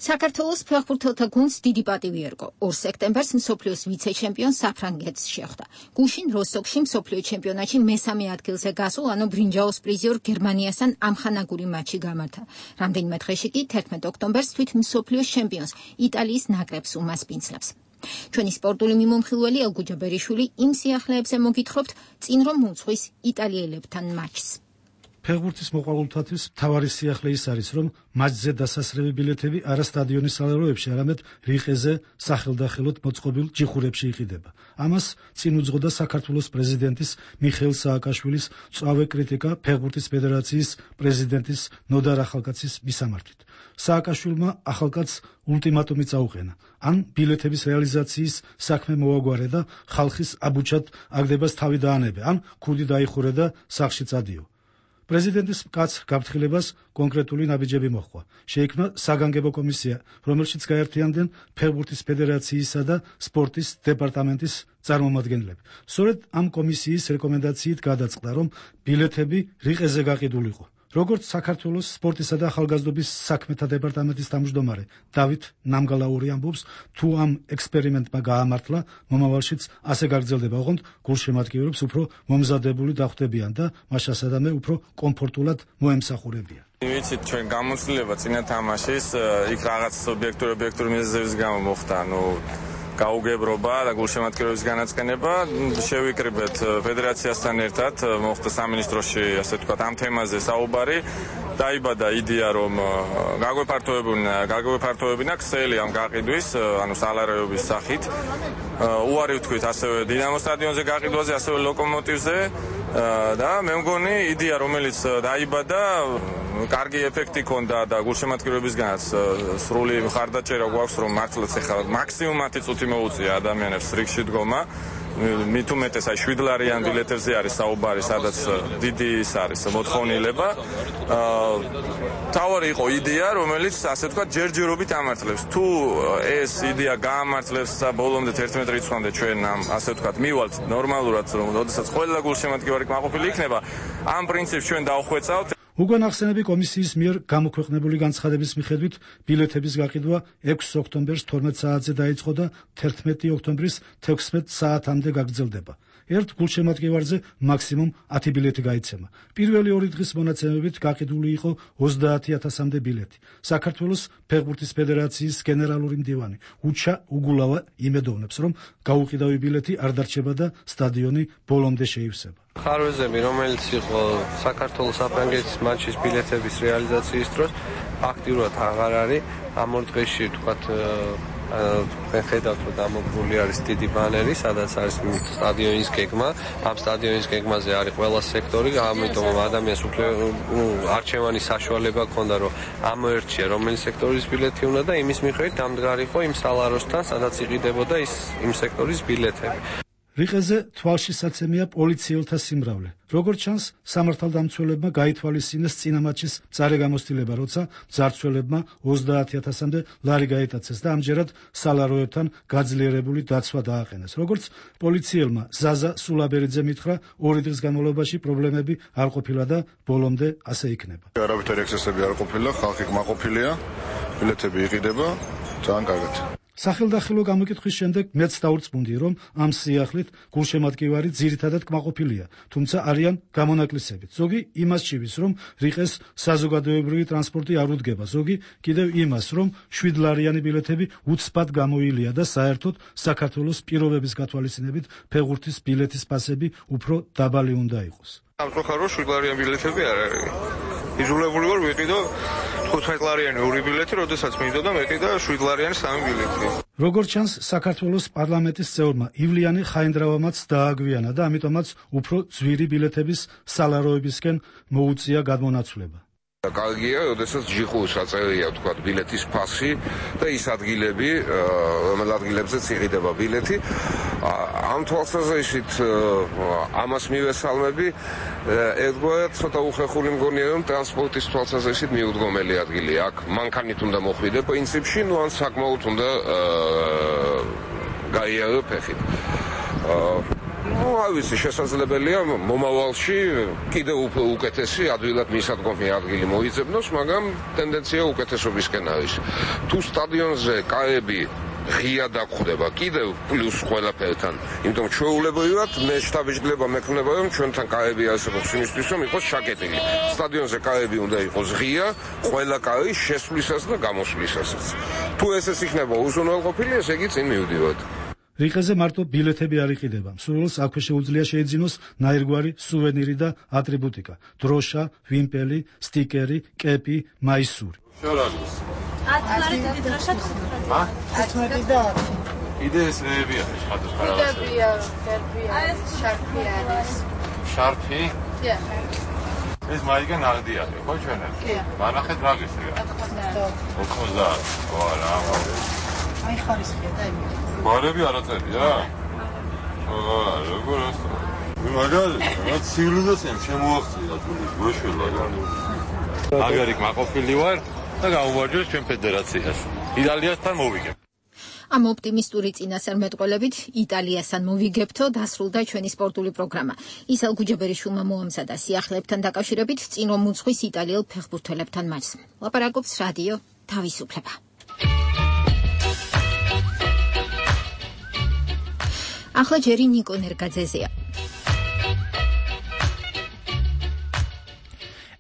A: საქართველოს ფეხბურთელთა გუნდს დიდი პატივი ერგო. ორ სექტემბერს მსოფლიოს ვიცე-ჩემპიონს საფრანგეთს შეხვდა. გუშინ როსტოკში მსოფლიო ჩემპიონატში მესამე ადგილზე გასულ, ანუ ბრინჯაოს პრიზიორ გერმანიასთან ამხანაგური მატჩი გამართა. რამდენიმე დღეში კი თერთმეტ ოქტომბერს თვით მსოფლიოს ჩემპიონს იტალიის ნაკრებს უმასპინძლებს. ჩვენი სპორტული მიმომხილველი ელგუჯა ბერიშვილი იმ სიახლეებზე მოგითხრობთ, წინ რომ მოუძღვის იტალიელებთან მატჩს.
G: ფეხბურთის მოყვარულთათვის მთავარი სიახლე ის არის, რომ მატჩზე დასასრები ბილეთები არა სტადიონის სალაროებში, არამედ რიყეზე სახელდახელოდ მოწყობილ ჯიხურებში იყიდება. ამას წინ უძღოდა საქართველოს პრეზიდენტის მიხეილ სააკაშვილის მწვავე კრიტიკა ფეხბურთის ფედერაციის პრეზიდენტის ნოდარ ახალკაცის მისამართით. სააკაშვილმა ახალკაცს ულტიმატუმი წაუყენა: ან ბილეთების რეალიზაციის საქმე მოაგვარე და ხალხის აბუჩად აგდებას თავი დაანებე, ან ქუდი დაიხურე და სახლში წადიო. პრეზიდენტის მკაც გაფრთხილებას კონკრეტული ნაბიჯები მოჰყვა. შეიქმნა საგანგებო კომისია, რომელშიც გაერთიანდნენ ფეხბურთის ფედერაციისა და სპორტის დეპარტამენტის წარმომადგენლები. სწორედ ამ კომისიის რეკომენდაციით გადაწყდა, რომ ბილეთები რიყეზე გაყიდულიყო. როგორც საქართველოს სპორტისა და ახალგაზრდობის საქმეთა დეპარტამენტის თავმჯდომარე დავით ნამგალაური ამბობს, თუ ამ ექსპერიმენტმა გაამართლა, მომავალშიც ასე გაგრძელდება, ოღონდ გულშემატკივრებს უფრო მომზადებული დახვდებიან და მას შესაძლოა უფრო კომფორტულად მოემსახურებიან.
K: ვიცით, ჩვენ გამოცდილება წინა თამაშის იქ რაღაც ობიექტური ობიექტური მიზეზების გამო მოხდა, ნუ გაუგებრობა და გულშემატკივრების განაცხენება. შევიკრიბეთ ფედერაციასთან ერთად, მოხდა სამინისტროში, ასე ვთქვათ, ამ თემაზე საუბარი. დაიბადა იდეა, რომ გაგვეფართოებინა, გაგვეფართოებინა ქსელი ამ გაყიდვის, ანუ სალაროების სახით. უარი ვთქვით ასევე დინამო სტადიონზე გაყიდვაზე, ასევე ლოკომოტივზე და მე მგონი იდეა, რომელიც დაიბადა, კარგი ეფექტი ჰქონდა და გულშემატკივრებისგანაც სრული მხარდაჭერა გვაქვს, რომ მართლაც ეხლა მაქსიმუმ ათი წუთი მოუწია ადამიანებს რიგში დგომა. მით უმეტეს აი შვიდლარიან ბილეთებზე არის საუბარი, სადაც დიდი ის არის მოთხოვნილება. თავარი იყო იდეა, რომელიც ასე ვთქვათ ჯერჯერობით ამართლებს. თუ ეს იდეა გაამართლებს და ბოლომდე თერთმეტ რიცხვამდე ჩვენ ამ ასე ვთქვათ მივალთ ნორმალურად, რომ ოდესაც ყველა გულშემატკივარი კმაყოფილი იქნება, ამ პრინციპს ჩვენ დავხვეწავთ.
G: უკვე ნახსენები კომისიის მიერ გამოქვეყნებული განცხადების მიხედვით ბილეთების გაყიდვა ექვსი ოქტომბერს თორმეტ საათზე დაიწყო და თერთმეტი ოქტომბრის თექვსმეტ საათამდე გაგრძელდება. ერთ გულშემატკივარზე მაქსიმუმ ათი ბილეთი გაიცემა. პირველი ორი დღის მონაცემებით გაყიდული იყო ოცდაათი ათასამდე ბილეთი. საქართველოს ფეხბურთის ფედერაციის გენერალური მდივანი უჩა უგულავა იმედოვნებს, რომ გაუყიდავი ბილეთი არ დარჩება და სტადიონი ბოლომდე შეივსება.
I: ხარვეზები, რომელიც იყო საქართველოს საფრანგეთის მატჩის ბილეთების რეალიზაციის დროს, აქტიურად აღარ არის. ამ ორ დღეში თქვათ ხედავთ, რომ დამოკრული არის დიდი ბანერი, სადაც არის სტადიონის გეგმა. ამ სტადიონის გეგმაზე არის ყველა სექტორი, ამიტომ ადამიანს უფლება არჩევანის საშუალება ჰქონდა, რომ ამოერჩია რომელი სექტორის ბილეთი უნდა და იმის მიხედვით დამდგარიყო იმ სალაროსთან, სადაც იყიდებოდა ის იმ სექტორის ბილეთები.
G: რიყეზე თვალშისაცემია პოლიციელთა სიმრავლე. როგორც ჩანს, სამართალდამცველებმა გაითვალისწინეს წინა მატჩის მწარე გამოცდილება, როცა მძარცველებმა ოცდაათი ათასამდე ლარი გაიტაცეს და ამჯერად სალაროებთან გაძლიერებული დაცვა დააყენეს. როგორც პოლიციელმა ზაზა სულაბერიძე მითხრა, ორი დღის განმავლობაში პრობლემები არ ყოფილა და ბოლომდე ასე იქნება.
J: არავითარი ექსცესები არ ყოფილა, ხალხი კმაყოფილია, ბილეთები იყიდება, ძალიან კარგად.
G: სახელდახელო გამოკითხვის შემდეგ მეც დაურწმუნდი, რომ ამ სიახლით გულშემატკივარი ძირითადად კმაყოფილია, თუმცა არიან გამონაკლისებით. ზოგი იმას ჭივის, რომ რიყეს საზოგადოებრივი ტრანსპორტი არ უდგება, ზოგი კიდევ იმას, რომ შვიდ ლარიანი ბილეთები უცბად გამოილია და საერთოდ საქართველოს პირობების გათვალისწინებით ფეხბურთის ბილეთის პასები უფრო დაბალი უნდა იყოს.
S: სამწუხაროდ შვიდ ლარიანი ბილეთები არ არის. იზოლებული ვარ ვიყიდო თხუთმეტ ლარიანი ორი ბილეთი, როდესაც მინდოდა მეყიდა შვიდ ლარიანი სამი ბილეთი.
G: როგორც ჩანს, საქართველოს პარლამენტის წევრმა ივლიანი ხაინდრავამაც დააგვიანა და ამიტომაც უფრო ძვირი ბილეთების სალაროებისკენ მოუწია გადმონაცვლება.
L: კარგია, როდესაც ჯიხუს აწერია თქვა ბილეთის ფასი და ის ადგილები, რომელ ადგილებზეც იყიდება ბილეთი. ამ თვალსაზრისით ამას მივესალმები, ერთგვარად ცოტა უხეხული მგონია, რომ ტრანსპორტის თვალსაზრისით მიუდგომელი ადგილია. აქ მანქანით უნდა მოხვიდე პრინციპში, ნუ ან საკმაოდ უნდა გაიარო ფეხით. Ну, არ ვიცი, შესაძლებელია მომავალში კიდევ უფრო უკეთესი ადვილად მისადგომი ადგილი მოიძებნოს, მაგრამ ტენდენცია უკეთესობისკენ არის. თუ სტადიონზე კარები ღია დაგხვდება კიდევ პლუს ყველაფერთან, იმიტომ ჩვეულებრივად მე შტაბიჯგლება მექნება, რომ ჩვენთან კარები არსებობს იმისთვის, რომ იყოს შაკეტილი. სტადიონზე კარები უნდა იყოს ღია, ყველა კარი შესვლისას და გამოსვლისასაც. თუ ესეც იქნება უზრუნველყოფილი, ესე იგი წინ მივდივართ.
G: რიყეზე მარტო ბილეთები არ იყიდება. მსურველს აქვე შეუძლია შეიძინოს ნაირგვარი სუვენირი და ატრიბუტიკა: დროშა, ვიმპელი, სტიკერი, კეპი, მაისური.
S: შორაგის.
M: ათი ლარი დროშა.
S: ა?
M: ათი და ათი.
S: იდეეს მეებია შეხატოს
M: ხარავას. იდეებია, კერპია, შარფია არის.
S: შარფი?
M: დიახ.
S: ეს მაიგა ნაღდი არის, ხო ჩვენებს? კი. მანახეთ რა გისრია? ოთხმოცდაათი. ვარა,
M: აი ხარისხია და იმით.
S: მარები არ აწერია? აა, როგორ ასე? მაგარი, რა ცივილიზაციამ შემოაღწია თულის გოშველა. აგარი კმაყოფილი ვარ და გავუმარჯოს ჩვენ ფედერაციას. იტალიასთან მოვიგებ.
A: ამ ოპტიმისტური წინასწარმეტყველებით იტალიასთან მოვიგებთო დასრულდა ჩვენი სპორტული პროგრამა. ისალ გუჯაბერიშვილმა მოამზადა სიახლეებთან დაკავშირებით წინ რომ უძღვის იტალიელ ფეხბურთელებთან მატჩს. ლაპარაკობს რადიო თავისუფლება. ახლა ჯერი ნიკო ნერგაძეზეა.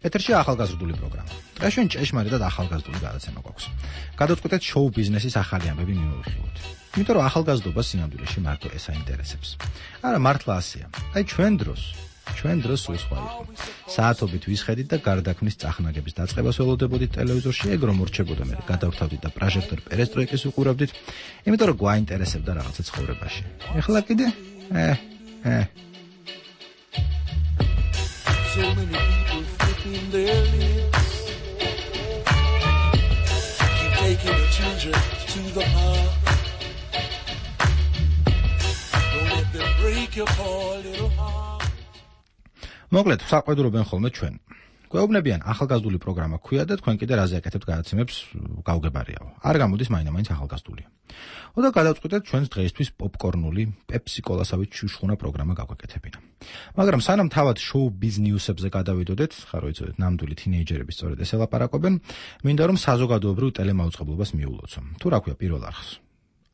X: ეთერში ახალგაზრდული პროგრამა. დღეს ჩვენ ჭეშმარიტად ახალგაზრდული გადაცემა გვაქვს. გადავწყვეტეთ შოუ ბიზნესის ახალი ამბები მივიხილოთ. იმიტომ რომ ახალგაზრდობა სინამდვილეში მარტო ეს აინტერესებს. არა, მართლა ასეა. აი ჩვენ დროს, ჩვენ დროს სულ სხვა იყო. საათობით ვისხედით და გარდაქმნის წახნაგების დაწყებას ველოდებოდით ტელევიზორში, ეგ რომ მორჩებოდა მე გადავთავდით და პროჟექტორ პერესტროიკის უყურავდით, იმიტომ რომ გვაინტერესებდა რაღაცა ცხოვრებაში. ეხლა კიდე? ე, ე.
Y: So many people flipping their lips, keep taking the children to the park. Don't let them break your poor little heart.
X: მოკლედ, საყვედურობენ ხოლმე ჩვენ. გვეუბნებიან ახალგაზრდული პროგრამა ქვია და თქვენ კიდე რაზე აკეთებთ გადაცემებს გავგებარიაო. არ გამოდის მაინამაინც ახალგაზრდულია. ოდა გადავწყვეტეთ ჩვენს დღეისთვის პოპკორნული პეპსიკოლასავით შუშხუნა პროგრამა გავაკეთებინა. მაგრამ სანამ თავად შოუ ბიზნესებზე გადავიდოდეთ, ხარ ვიცოდეთ, ნამდვილი თინეიჯერები სწორედ ეს ელაპარაკობენ, მინდა რომ საზოგადოებრივ ტელემაუწყებლობას მიულოცო. თუ რა ქვია პირველ არხს.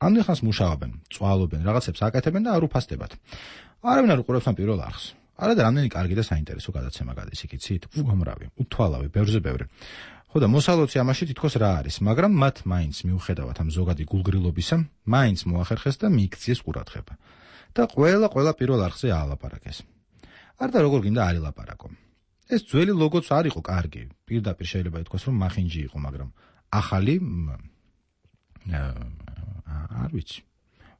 X: ამდენ ხანს მუშაობენ, წვალობენ, რაღაცებს აკეთებენ და არ უფასდებათ. არავინ არ უყურებს ამ პირველ არხს. არა და რამდენი კარგი და საინტერესო გადაცემა გადის იქიცით, უგამრავი, უთვალავი, ბევრზე ბევრი. ხო და მოსალოცი ამაში თითქოს რა არის, მაგრამ მათ მაინც მიუხედავად ამ ზოგადი გულგრილობისა, მაინც მოახერხეს და მიიქციეს ყურადღება. და ყველა ყველა პირველ არხზე აალაპარაკეს. არ და როგორ გინდა არ ილაპარაკო. ეს ძველი ლოგოც არ იყო კარგი, პირდაპირ შეიძლება ითქვას რომ მახინჯი იყო, მაგრამ ახალი არ ვიცი.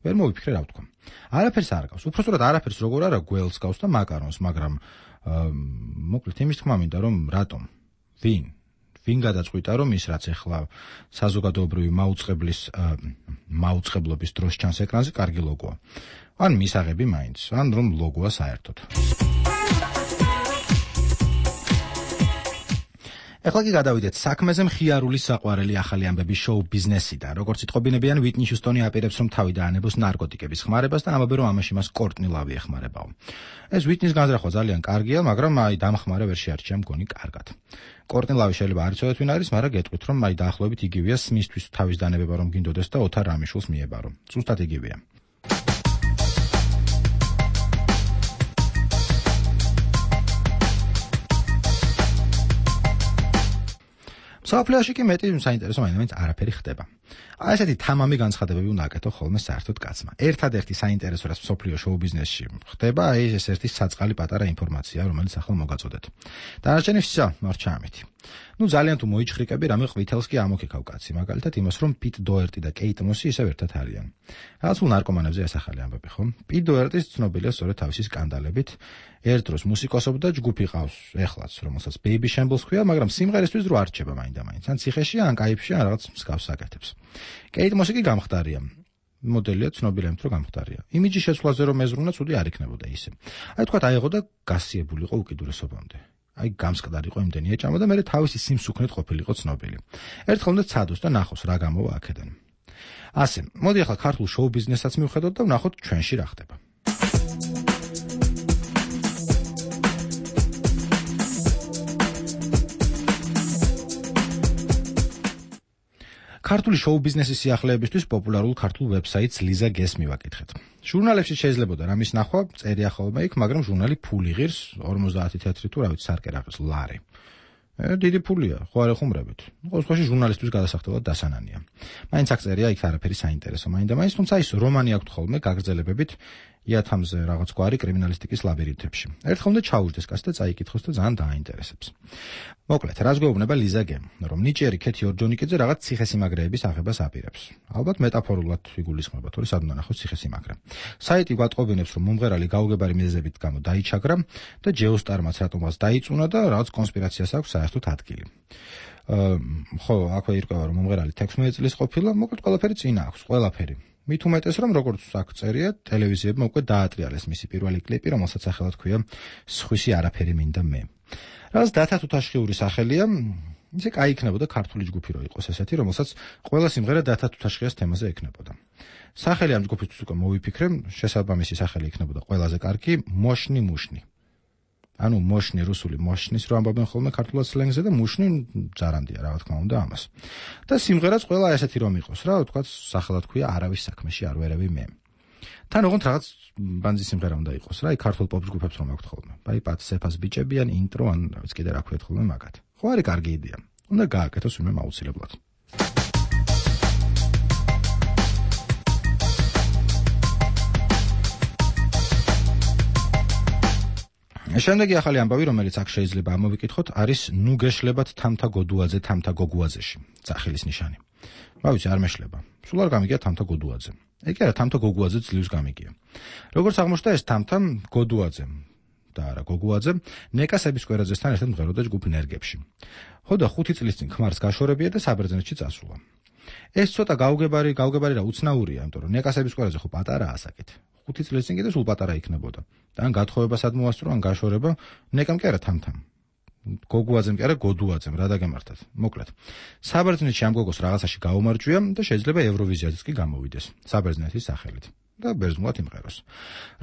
X: ვერ მოვიფიქრე რა ვთქვა. არაფერს არ გავს. უпростоრად არაფერს როგორ არა გველს გავს და მაკარონს, მაგრამ მოკლედ იმის თქმა მინდა რომ რატომ? ვინ? ვინ გადაწყვიტა, რომ ის რაც ეხლა საზოგადოებრივი მაუწყებლის მაუწყებლობის დროს ჩანს ეკრანზე, კარგი ლოგოა. ან მისაღები მაინც, ან რომ ლოგოა საერთოდ. ეხლა კი გადავიდეთ საქმეზე. მხიარული საყვარელი ახალი ამბების შოუ ბიზნესიდან. როგორც იტყობინებიან, ვიტნი ჰიუსტონი აპირებს, რომ თავი დაანებოს ნარკოტიკების ხმარებას და ამბობენ, რომ ამაში მას კორტნი ლავი ეხმარებაო. ეს ვიტნის განზრახვა ძალიან კარგია, მაგრამ აი დამხმარე ვერ შეარჩია მგონი კარგად. კორტნი ლავი შეიძლება არ იცოდეთ ვინ არის, მაგრამ გეტყვით, რომ აი დაახლოებით იგივეა სმისთვის თავის დანება რომ გინდოდეს და ოთარ რამიშულს მიებარო. ზუსტად იგივეა. საფლიაში კი მეტი საინტერესო მაინც არაფერი ხდება. აი ესეთი თამამი განცხადებები უნდა აკეთო ხოლმე საერთოდ კაცმა. ერთადერთი საინტერესო რაც სოფლიო შოუ ბიზნესში ხდება, აი ეს ერთი საწყალი პატარა ინფორმაცია, რომელიც ახლა მოგაწოდეთ. დანარჩენი ვსა, მარჩა ამეთი. ნუ ძალიან თუ მოიჩხრიკები, რამე ყვითელს კი ამოქეკავ კაცი, მაგალითად იმას, რომ პიტ დოერტი და კეიტ მოსი ისევ ერთად არიან. რაღაც უ ნარკომანებზე ასახალი ამბები, ხო? პიტ დოერტის ცნობილია სწორედ თავისი სკანდალებით. ერთ დროს მუსიკოსობდა, ჯგუფი ყავს, ეხლაც, რომელსაც Baby Shambles ქვია, მაგრამ სიმღერისთვის დრო არ რჩება მაინდა-მაინც. ან ციხეში, ან კაიფში, ან რაღაც მსგავს აკეთებს. კეიტ მოსი კი გამხდარია. მოდელია, ცნობილია იმით, რომ გამხდარია. იმიჯი შეცვლაზე რომ ეზრუნა, ცუდი არ იქნებოდა ისე. აი თქვა აიღო და გასიებულიყო უკიდურესობამდე. აი გამსკდარიყო იმდენი ეჭამა და მე თავისი სიმსუქნით ყოფილიყო ცნობილი. ერთხელ უნდა ცადოს და ნახოს რა გამოვა აქედან. ასე, მოდი ახლა ქართულ შოუ ბიზნესაც მივხედოთ და ვნახოთ ჩვენში რა ხდება. ქართული შოუ ბიზნესის სიახლეებისთვის პოპულარულ ქართულ ვებსაიტს ლიზა გეს მივაკითხეთ. ჟურნალებში შესაძლებოდა რამის ნახვა, წერია ხოლმე იქ, მაგრამ ჟურნალი ფული ღირს, ორმოცდაათი თეთრი თუ რა ვიცი სარკერაღის ლარი. დიდი ფულია, ხო არ ეხუმრებით. ყოველ შემთხვევაში ჟურნალისტვის გადასახდელად დასანანია. მაინც აქ წერია იქ არაფერი საინტერესო, მაინდა-მაინც, თუმცა ის რომანი აქვს ხოლმე გაგრძელებებით იათამზე რაღაც გვარი კრიმინალისტიკის ლაბირინთებში. ერთხელ უნდა ჩაუждდეს კაცს და წაიკითხოს და ძალიან დააინტერესებს. მოკლედ, რას გვეუბნება ლიზა გემ, რომ ნიჭიერი ქეთი ორჯონიკიძე რაღაც ციხესიმაგრეების აღებას აპირებს. ალბათ მეტაფორულად იგულისხმება, თორე სად უნდა ნახოს ციხესიმაგრე. საიტი გვატყობინებს, რომ მომღერალი გაუგებარი მიზეზებით გამო დაიჩაგრა და ჯეოსტარმაც რატომაც დაიწუნა და რაღაც კონსპირაციას აქვს საერთოდ ადგილი. ხო, აქვე ირკვევა, რომ მომღერალი თექვსმეტ წლის ყოფილა, მოკლედ ყველაფერი წინა აქვს, ყველაფერი. მით უმეტეს, რომ როგორც აქ წერია, ტელევიზიებმა უკვე დაატრიალეს მისი პირველი კლიპი, რომელსაც სახელად ქვია სხვისი არაფერი მინდა მე. რაც დათა თუთაშხიური სახელია, ისე კაი იქნებოდა ქართული ჯგუფი რო იყოს ესეთი, რომელსაც ყველა სიმღერა დათა თუთაშხიას თემაზე ექნებოდა. სახელი ამ ჯგუფისთვის უკვე მოვიფიქრე, შესაბამისი სახელი იქნებოდა ყველაზე კარგი მოშნი მუშნი. ანუ მოშნი რუსული მოშნის რო ამბობენ ხოლმე ქართულად სლენგზე და მუშნი ძარანდია რა თქმა უნდა ამას. და სიმღერაც ყველა ესეთი რომ იყოს რა, თქვა სახელად ქვია არავის საქმეში არ ვერევი მე. თან ოღონდ რაღაც ბანძი სიმღერა უნდა იყოს რა, აი ქართულ პოპ ჯგუფებს რომ აქვთ ხოლმე. აი პატ სეფას ბიჭებიან ინტრო ან რა ვიცი კიდე რა ქვიათ ხოლმე მაგათ. ხო არის კარგი იდეა. უნდა გააკეთოს ვინმე აუცილებლად. შემდეგი ახალი ამბავი, რომელიც აქ შეიძლება ამოვიკითხოთ, არის ნუ გეშლებათ თამთა გოდუაძე თამთა გოგუაძეში. წახილის ნიშანი. რა ვიცი, არ მეშლება. სულ არ გამიგია თამთა გოდუაძე. ეგ არა, თამთა გოგუაძე ძლივს გამიგია. როგორც აღმოჩნდა, ეს თამთა გოდუაძე და არა გოგუაძე ნეკასების კვერაძესთან ერთად მღეროდა ჯგუფ ნერგებში. ხო და ხუთი წლის წინ ქმარს გაშორებია და საბერძნეთში წასულა. ეს ცოტა გაუგებარი, გაუგებარი რა უცნაურია, იმიტომ რომ ნეკასების კვერაძე ხო პატარაა ასაკით. ხუთი წლის წინ კიდე სულ პატარა იქნებოდა. და ან გათხოვებასად მოასწრო, ან გაშორება, ნეკამ კი არა თამთამ. გოგუაძემ კი არა გოდუაძემ რა დაგემართათ. მოკლედ. საბერძნეთში ამ გოგოს რაღაცაში გაუმარჯვია და შეიძლება ევროვიზიაზეც კი გამოვიდეს საბერძნეთის სახელით და ბერძნულად იმღეროს.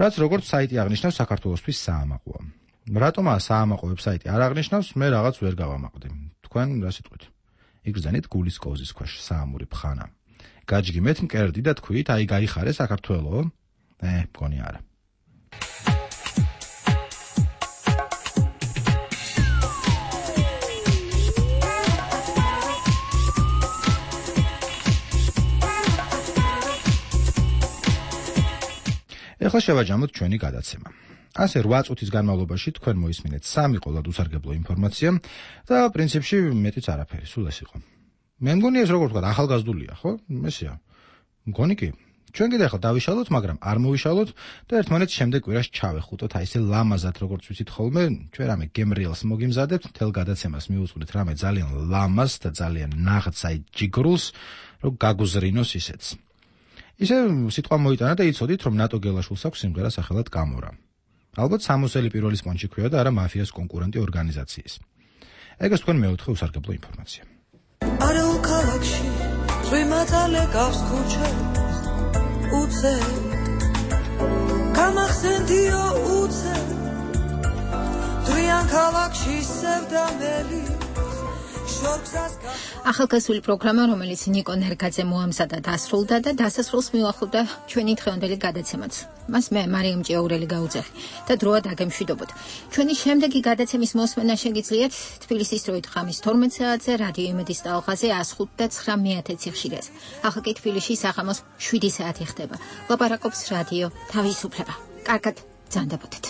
X: რაც როგორც საიტი აღნიშნავს საქართველოსთვის საამაყოა. რატომაა საამაყო ვებსაიტი არ აღნიშნავს, მე რაღაც ვერ გავამაყდი. თქვენ რა სიტყვით? იგრძანით გულის კოზის ქვეშ საამური ფხანა. გაჯგიმეთ მკერდი და თქვით, აი გაიხარე საქართველო? ე, მგონი არა. ეხლა შევაჯამოთ ჩვენი გადაცემა. ასე რვა წუთის განმავლობაში თქვენ მოისმინეთ სამი ყოლად უსარგებლო ინფორმაცია და პრინციპში მეტიც არაფერი, სულ ეს იყო. მე მგონი ეს როგორ ვთქვა, ახალგაზრდულია, ხო? ესეა. მგონი კი. ჩვენ კიდე ახლა დავიშალოთ, მაგრამ არ მოვიშალოთ და ერთმანეთს შემდეგ კვირას ჩავეხუტოთ, აი ესე ლამაზად როგორც ვიცით ხოლმე, ჩვენ რამე გემრიელს მოგიმზადებთ, თელ გადაცემას მივუძღვნით რამე ძალიან ლამაზ და ძალიან ნაღდს, აი ჯიგრულს, რომ გაგუზრინოს ისეც. ისე სიტყვა მოიტანა და იცოდით, რომ ნატო გელაშვილს აქვს სიმღერა სახელად კამორა. ალბათ სამოსელი პირველი სპონჯი ქვია და არა მაფიას კონკურენტი ორგანიზაციის. ეგას თქვენ მეოთხე უსარგებლო ინფორმაცია.
D: არაულ ქალაქში წვიმატალე გავს ქუჩებს უცე გამახსენდიო უცე დრიან ქალაქში სევდამელი
A: ახალგაზრდული პროგრამა, რომელიც ნიკო ნერგაძე მოამზადა დასრულდა და დასასრულს მივახლოვდა ჩვენი დღევანდელი გადაცემაც. მას მე მარიამ ჭიაურელი გაუძახი და დროა დაგემშვიდობოთ. ჩვენი შემდეგი გადაცემის მოსმენა შეგიძლიათ თბილისის დროით ხამის თორმეტ საათზე რადიო იმედის ტალღაზე one oh five და nine მეთეცი ხშირას. ახლა კი თბილისში საღამოს seven საათი ხდება. ლაპარაკობს რადიო თავისუფლება. კარგად, ძანდებოდეთ.